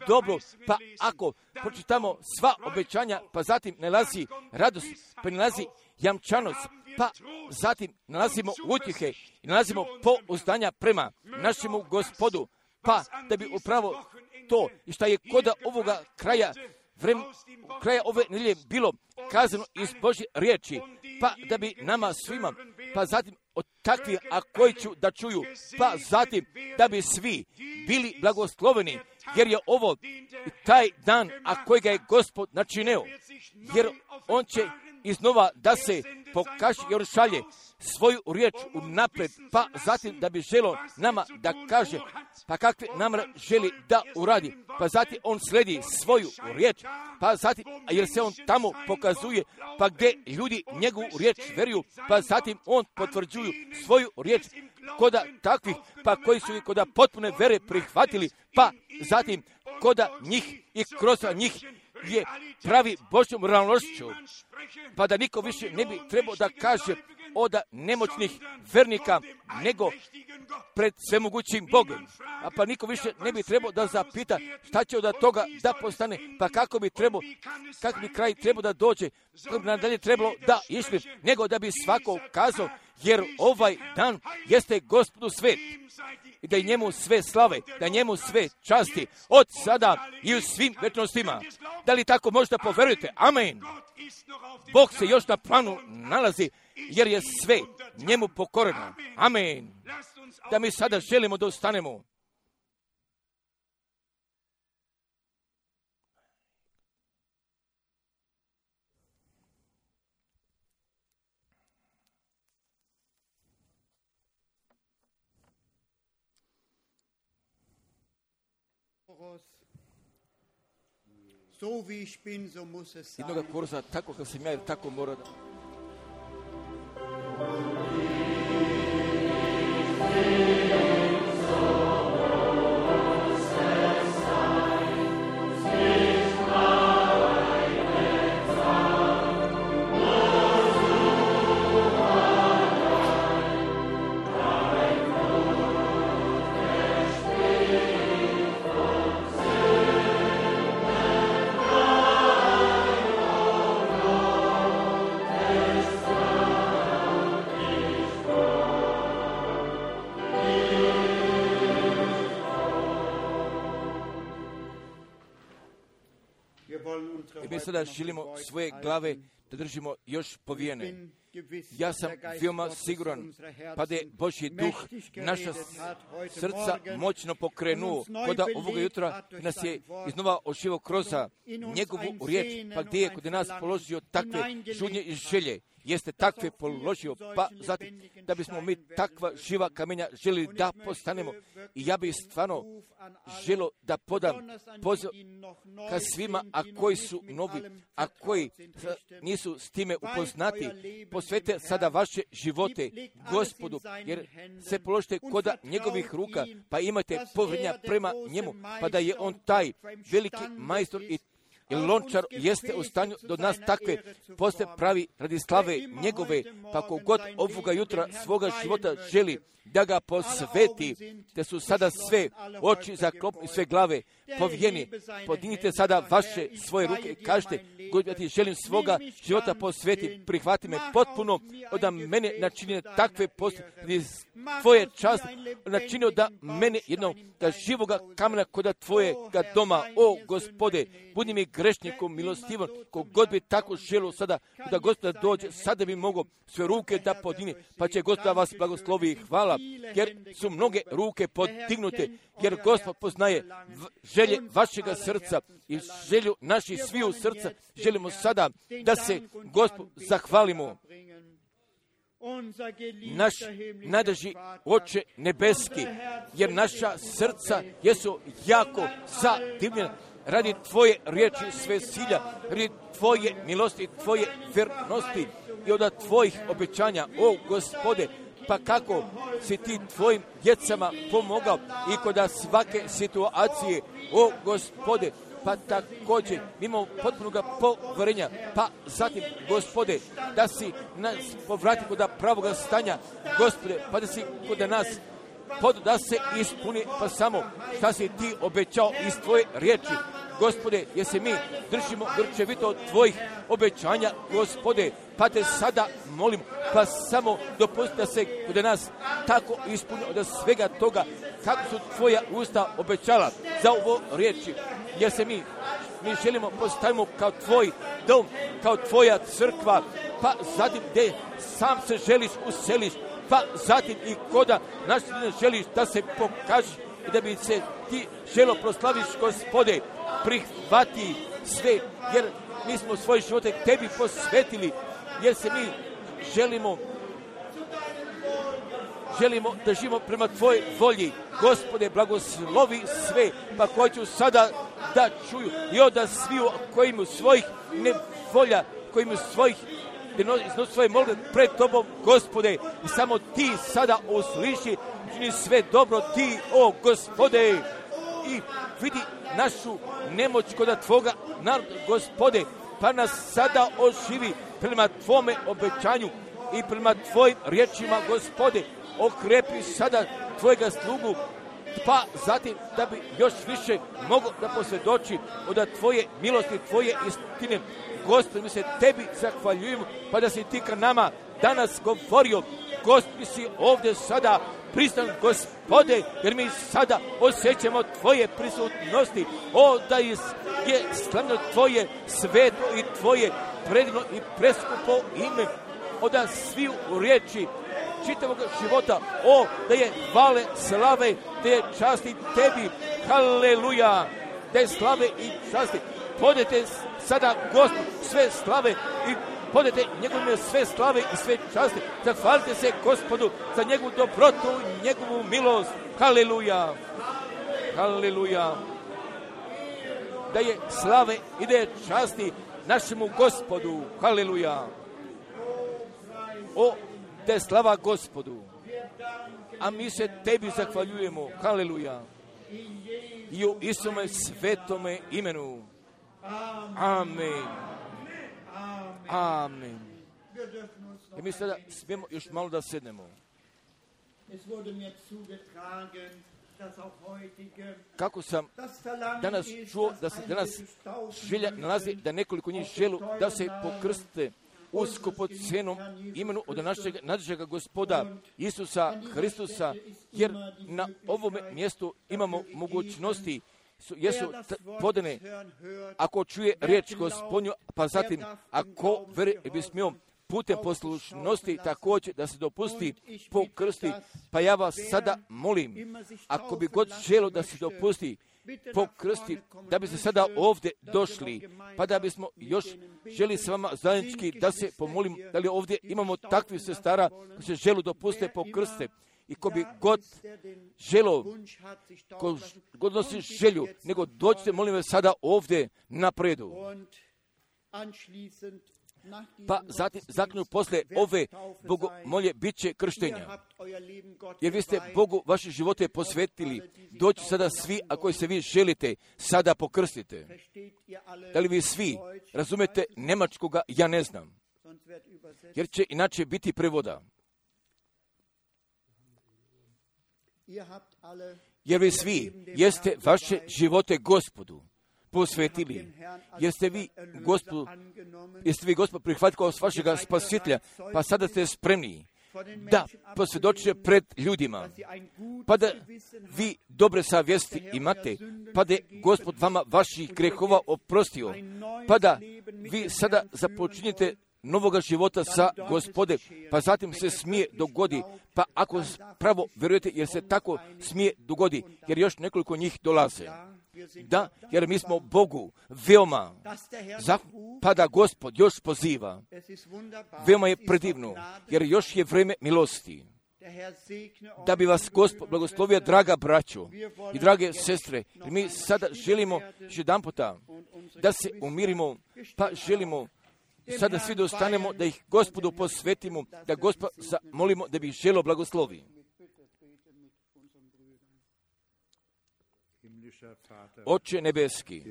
dobro, pa ako pročitamo sva obećanja, pa zatim nalazi radost, pa nalazi jamčanost, pa zatim nalazimo utjehe i nalazimo pouzdanja prema našemu Gospodu, pa da bi upravo to i šta je koda ovoga kraja ove nedjelje bilo kazano iz Božje riječi, pa da bi nama svima, pa zatim od takvih, a koji ću da čuju, pa zatim da bi svi bili blagosloveni, jer je ovo taj dan, a kojega je Gospod načinio, jer on će iznova da se pokaže i šalje svoju riječ unaprijed, pa zatim da bi želio nama da kaže, pa kakve namere želi da uradi, pa zatim on sledi svoju riječ, pa zatim, jer se on tamo pokazuje, pa gdje ljudi njegovu riječ vjeruju, pa zatim on potvrđuju svoju riječ koda takvih, pa koji su i koda potpune vere prihvatili, pa zatim koda njih i kroz njih je pravi Božjom realnošću, pa da niko više ne bi trebao da kaže od nemoćnih vernika, nego pred svemogućim Bogom. A pa niko više ne bi trebao da zapita šta će od toga da postane, pa kako bi kraj trebao da dođe, kako bi nadalje trebalo da išli, nego da bi svako kazao, jer ovaj dan jeste Gospodu svet, i da je njemu sve slave, da njemu sve časti, od sada i u svim večnostima. Da li tako možda poverujete? Amen. Bog se još na planu nalazi, jer je sve njemu pokoreno. Amen. Da mi sada želimo da ustanemo. Jednoga kurza, tako kao sam ja, tako mora da... Mi sada želimo svoje glave da držimo još povijene. Ja sam veoma siguran, pa da je Božji duh naša srca moćno pokrenuo, koda ovoga jutra nas je iznova oživio kroz njegovu riječ, pa gdje je kod nas položio takve žudnje i želje, jeste takve položio, pa zatim da bismo mi takva živa kamenja želi da postanemo. I ja bih stvarno želio da podam poziv ka svima, a koji su novi, a koji nisu s time upoznati, posvete sada vaše živote Gospodu, jer se položite koda njegovih ruka, pa imate povjerenja prema njemu, pa da je on taj veliki majstor i jer lončar jeste u stanju do nas takve poste pravi radi slave njegove, pa kogod ovoga jutra svoga života želi da ga posveti, te su sada sve oči zaklopni, sve glave povijeni. Podignite sada vaše svoje ruke i kažete, Gospod, ja ti želim svoga života posveti, prihvati me potpuno, da mene načini takve poste, tvoje časti, načinio da mene jednog, da živoga kamena koda tvojega doma, o Gospode, budi mi grešnikom milostivom, kogod bi tako želio sada, da Gospod dođe, sada bi mogao sve ruke da podigne, pa će Gospod vas blagoslovi. Hvala, jer su mnoge ruke podignute, jer Gospod poznaje želje vašega srca i želju naših sviju srca. Želimo sada da se Gospod zahvalimo. Naš najdraži Oče nebeski, jer naša srca jesu jako zadivljena radi tvoje riječi sve silja, radi tvoje milosti, tvoje vernosti i od tvojih obećanja, o Gospode. Pa kako si ti tvojim djecama pomogao i kod svake situacije, o Gospode, pa također imamo potpunog poverenja, pa zatim, Gospode, da si nas povrati kod pravoga stanja, Gospode, pa da si kod nas da se ispuni, pa samo šta si ti obećao iz tvoje riječi, Gospode, jer se mi držimo grčevito od tvojih obećanja, Gospode, pa te sada molim, pa samo dopusti da se kod nas tako ispuni od svega toga, kako su tvoja usta obećala za ovo riječi, jer se mi želimo postavimo kao tvoj dom, kao tvoja crkva, pa zatim gdje sam se želiš useliš, pa zatim i koda naš ne želiš da se pokažeš i da bi se ti želo proslaviš, Gospode, prihvati sve, jer mi smo svoje živote tebi posvetili, jer se mi želimo da živimo prema tvojoj volji. Gospode, blagoslovi sve, pa koji ću sada da čuju i onda sviju koji imaju svojih nevolja, koji imaju svojih iznosi svoje molbe pred tobom, Gospode, i samo ti sada usliši, čini sve dobro ti, o Gospode, i vidi našu nemoć kod tvoga naroda, Gospode, pa nas sada oživi prema tvome obećanju i prema tvojim riječima, Gospode, okrepi sada tvojega slugu, pa zatim da bi još više mogao da posvjedoči od tvoje milosti, tvoje istine. Gospod, mi se tebi zahvaljujemo, pa da si ti ka nama danas govorio. Gospod, si ovdje sada pristan, Gospode, jer mi sada osjećamo tvoje prisutnosti. O, da je slavno tvoje sveto i tvoje predivno i preskupo ime. Od sviju riječi čitavog života, o, da je hvale, slave, da je časti tebi, haleluja, da je slave i časti. Podajte sada Gospod sve slave i podajte njegovime sve slave i sve časti. Zahvalite se Gospodu za njegovu dobrotu i njegovu milost. Haleluja, haleluja. Da je slave i da je časti našemu Gospodu. Haleluja. O, da je slava Gospodu. A mi se tebi zahvaljujemo. Haleluja. I u Isome svetome imenu. Amen. Amen. I mi sada smijemo još malo da sednemo. Kako sam danas čuo da se danas želja nalazi da nekoliko njih želu da se pokrste u skupocenom imenu od našega Gospoda Isusa Hristusa, jer na ovom mjestu imamo mogućnosti jesu podane, ako čuje riječ Gospodnju, pa zatim ako bi smio putem poslušnosti također da se dopusti pokrsti, pa ja vas sada molim, ako bi god želo da se dopusti pokrsti, da bi se sada ovdje došli, pa da bismo još želi s vama zajednički da se pomolim, da li ovdje imamo takvih sestara koji se želu dopuste pokrste. I ko bi god želo, ko god nosi želju, nego dođite, molim vas, sada ovdje napredu. pa zatim zakonu posle ove bogomolje bit će krštenja. Jer vi ste Bogu vaše živote posvetili. Doći sada svi, ako se vi želite, sada pokrstite. Da li vi svi razumete nemačkoga, ja ne znam. Jer će inače biti prevoda. Jer vi svi jeste vaše živote Gospodu posvetili. Jeste vi Gospod prihvatili kao vašega spasitelja, pa sada ste spremni da posvjedočite pred ljudima, pa da vi dobre savjesti imate, pa da je Gospod vama vaših grehova oprostio, pa da vi sada započinjete novoga života sa Gospodem, pa zatim se smije dogodi, pa ako pravo vjerujete, jer se tako smije dogodi, jer još nekoliko njih dolaze. Da, jer mi smo Bogu veoma, pa da Gospod još poziva. Veoma je predivno, jer još je vreme milosti. Da bi vas Gospod blagoslovio, draga braćo i drage sestre, jer mi sada želimo jedan puta da se umirimo, pa želimo sada svi dostanemo da ih Gospodu posvetimo, da Gospod zamolimo da bi ih želo blagoslovi. Oče nebeski,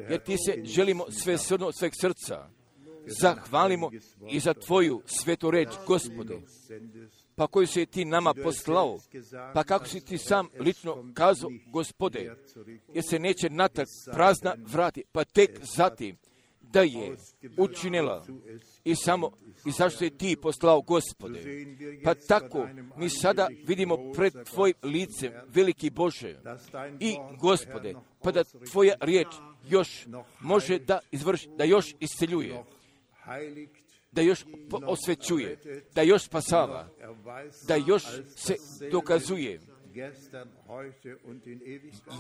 jer ti se želimo sve srno sveg srca, zahvalimo i za tvoju svetu reč, Gospode, pa koju si ti nama poslao, pa kako si ti sam lično kazao, Gospode, jer se neće natrag prazna vrati, pa tek zatim da je učinila i zašto je ti poslao, Gospode. Pa tako mi sada vidimo pred tvojim licem, veliki Bože, i Gospode, pa da tvoja riječ još može da izvrši, da još isceljuje, da još osvećuje, da još spasava, da još se dokazuje.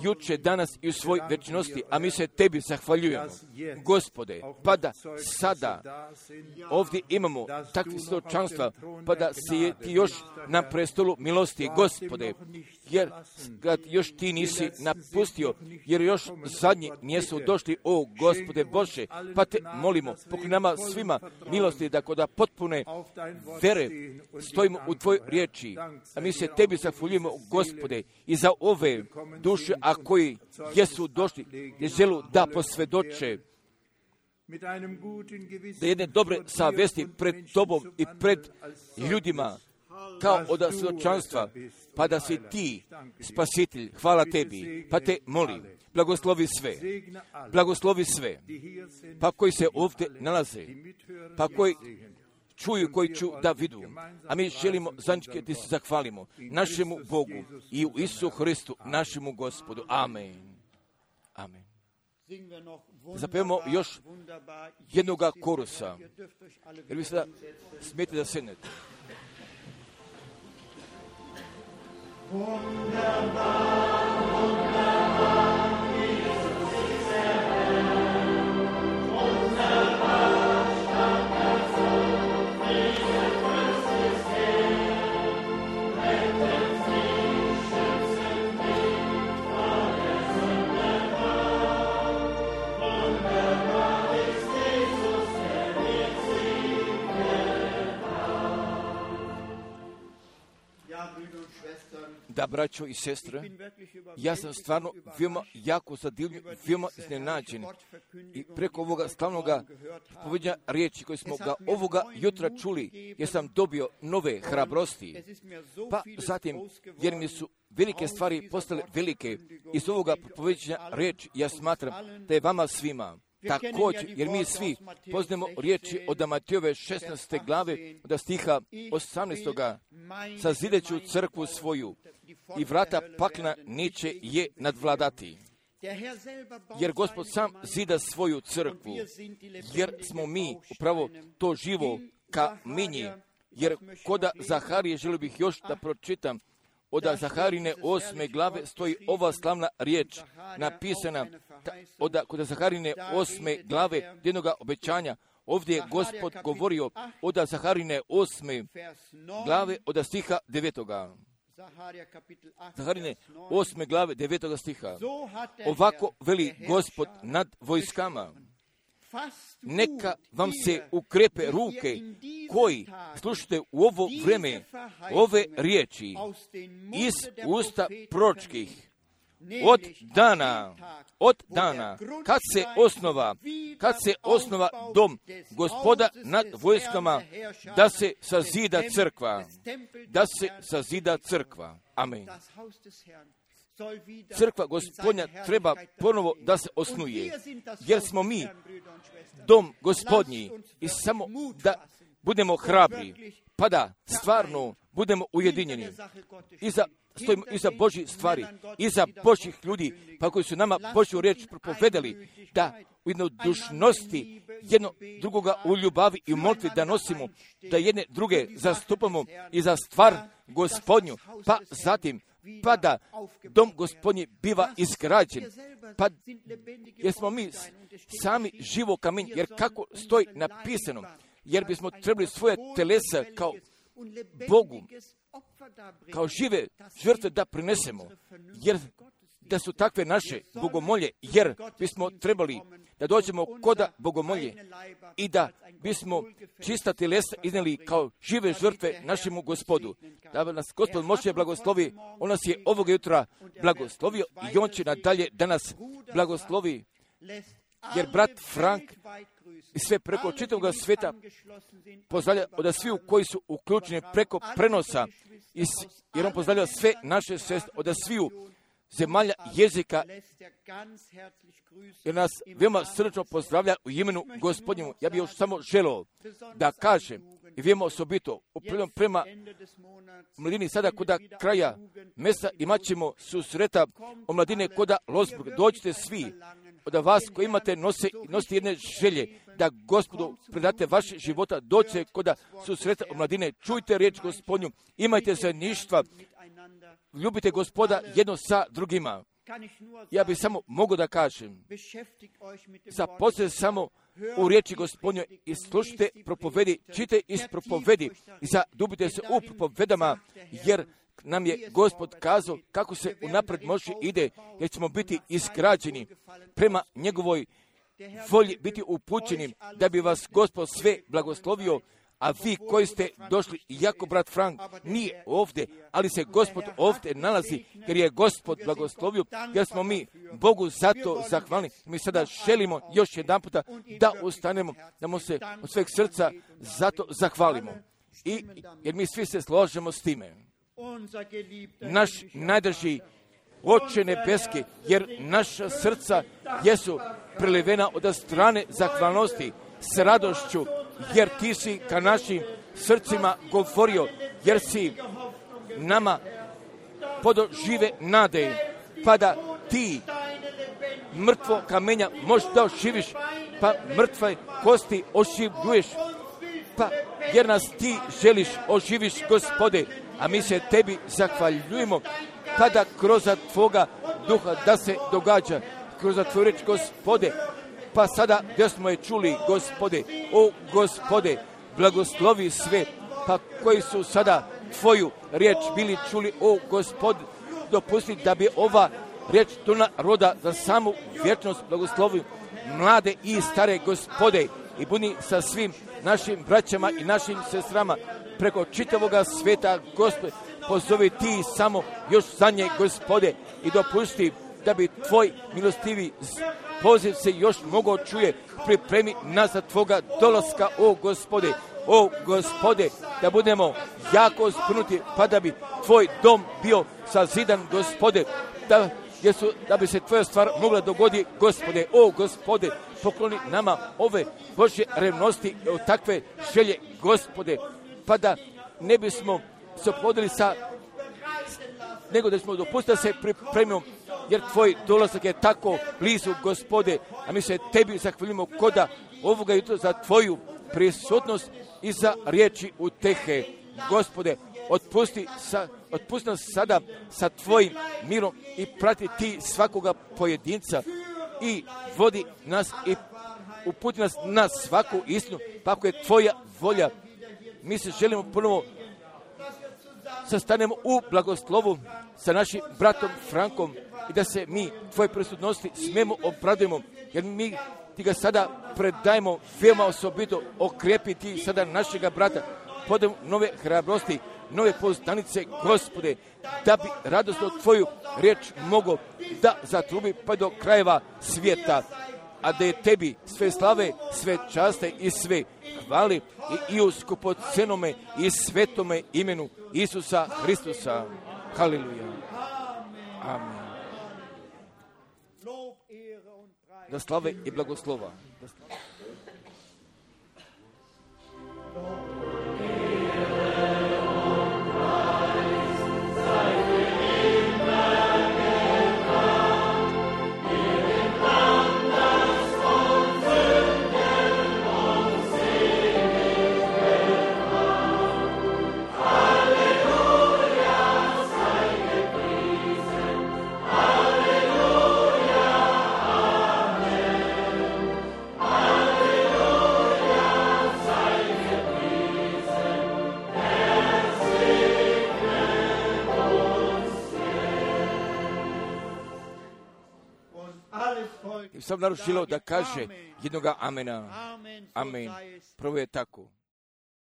Juče, danas i u svoj večnosti, a mi se tebi zahvaljujemo, Gospode, pa da sada ovdje imamo takve svjedočanstva, pa da si ti još na prestolu milosti, Gospode, jer kad još ti nisi napustio, jer još zadnji nisu došli, o Gospode Bože, pa te molimo, pokoj nama svima milosti, da kod potpune vere stojimo u tvoj riječi, a mi se tebi zahvaljujemo, Gospode, i za ove duše, a koji jesu došli, je želu da posvjedoče, da jedne dobre savjesti pred tobom i pred ljudima, kao od svjedočanstva, pa da si ti spasitelj, hvala tebi, pa te molim, blagoslovi sve, pa koji se ovdje nalaze, pa koji čuju, koji ću da vidu. A mi želimo zajednički da se zahvalimo našemu Bogu i u Isusu Hristu, našemu Gospodu. Amen. Amen. Zapevamo još jednoga korusa. Jer vi sada smijete da sednete. Da, braćo i sestre, ja sam stvarno veoma jako zadivljen, veoma iznenađen i preko ovoga slavnoga povedanja riječi koje smo ga ovoga jutra čuli, jer sam dobio nove hrabrosti. Pa zatim, jer mi su velike stvari postale velike iz ovoga povedanja riječi, ja smatram da je vama svima također, jer mi svi poznajemo riječi od Matejove 16. glave, od stiha 18. Sazideću crkvu svoju i vrata pakla neće je nadvladati. Jer Gospod sam zida svoju crkvu, jer smo mi upravo to živo kamenje. Jer koda Zaharije, želio bih još da pročitam, od Zaharine 8. glave stoji ova slavna riječ napisana, kod Zaharine 8. glave jednoga obećanja. Ovdje je Gospod govorio od Zaharine 8. glave od stiha 9. Zaharine 8. glave 9. stiha. Ovako veli Gospod nad vojskama. neka vam se ukrepe ruke koji slušate u ovo vreme ove riječi iz usta proročkih. Od dana kad se osnova dom Gospoda nad vojskama, da se sazida crkva. Amen. Crkva Gospodnja treba ponovo da se osnuje, jer smo mi dom Gospodnji i samo da budemo hrabri, pa da stvarno budemo ujedinjeni stojimo iza Božjih stvari, iza Božjih ljudi, pa koji su nama Božju riječ propovedali, da u jednodušnosti jedno drugoga u ljubavi i u molitvi da nosimo, da jedne druge zastupamo i za stvar Gospodnju, pa zatim pa da dom Gospodnji biva izgrađen, pa jer smo mi sami živo kamenje, jer kako stoji napisano, jer bismo trebali svoje telesa kao Bogu, kao žive žrtve da prinesemo, jer da su takve naše bogomolje, jer bismo trebali da dođemo koda bogomolje i da bismo čista telesa iznijeli kao žive žrtve našemu Gospodu. Da nas Gospod može blagoslovi, on nas je ovoga jutra blagoslovio i on će nadalje da nas blagoslovi, jer brat Frank i sve preko čitavog svijeta pozdravlja od sviju koji su uključeni preko prenosa, jer on pozdravlja sve naše sestre od sviju zemalja jezika, jer nas veoma srčno pozdravlja u imenu Gospodnjemu. Ja bih još samo želeo da kažem i veoma osobito prema mladini sada koda kraja mjeseca imat ćemo susreta o mladine koda Losburg. Dođite svi od vas koji imate nosite jedne želje da Gospodu predate vaše života, dođite koda susreta o mladine, čujte riječ Gospodnju, imajte zajedništva, ljubite Gospoda jedno sa drugima. Ja bih samo mogao da kažem, zaposlite samo u riječi Gospodnje i slušajte propovedi, čite iz propovedi i zadubite se u propovedama, jer nam je Gospod kazao kako se unapred može ide, jer ćemo biti izgrađeni prema njegovoj volji, biti upućeni, da bi vas Gospod sve blagoslovio. A vi koji ste došli, iako brat Frank nije ovdje, ali se Gospod ovdje nalazi, jer je Gospod blagoslovio, jer smo mi Bogu zato zahvalni. Mi sada želimo još jedan puta da ustanemo, da mu se od sveg srca zato zahvalimo. Jer mi svi se složimo s time. Naš najdraži Oče nebeski, jer naša srca jesu prelivena od strane zahvalnosti s radošću, jer ti si ka našim srcima govorio, jer si nama podožive nade, pa da ti mrtvo kamenja možeš da oživiš, pa mrtve kosti oživljuješ, pa jer nas ti želiš oživiš, Gospode, a mi se tebi zahvaljujemo, pa da kroz tvoga duha da se događa, kroz tvoju reč, Gospode, pa sada gdje smo je čuli, Gospode, o Gospode, blagoslovi sve, pa koji su sada tvoju riječ bili čuli, o Gospode, dopusti da bi ova riječ do naroda za samu vječnost blagoslovi mlade i stare, Gospode, i budi sa svim našim braćama i našim sestrama preko čitavoga sveta, Gospode, pozovi ti samo još za nje, Gospode, i dopusti da bi tvoj milostivi poziv se još mogao čuje, pripremi nas za tvoga dolaska, o Gospode, da budemo jako spunuti, pa da bi tvoj dom bio sazidan, Gospode, da bi se tvoja stvar mogla dogoditi, Gospode, o Gospode, pokloni nama ove Božje revnosti, takve želje, Gospode, pa da ne bismo se ophodili nego da smo dopustili da se pripremimo, jer tvoj dolazak je tako blizu, Gospode, a mi se tebi zahvaljujemo koda ovoga jutra za tvoju prisutnost i za riječi utehe. Gospode, otpusti nas sada sa tvojim mirom i prati ti svakoga pojedinca i vodi nas i uputi nas na svaku istinu, pa ako je tvoja volja. Mi se želimo ponovo sastanemo u blagoslovu sa našim bratom Frankom i da se mi tvoje prisutnosti smemo obradujemo, jer ti ga sada predajemo veoma osobito, okrepi ti sada našega brata, podaj nove hrabrosti, nove poznanice, Gospode, da bi radosno tvoju riječ mogo da zatrubi pa do krajeva svijeta, a da je tebi sve slave, sve časte i sve hvali i u skupocenome i svetome imenu Isusa Hristusa. Haleluja. Amen. Da slave i blagoslova. Sam naručilo da kaže jednoga amena. Amen. Prvo je tako.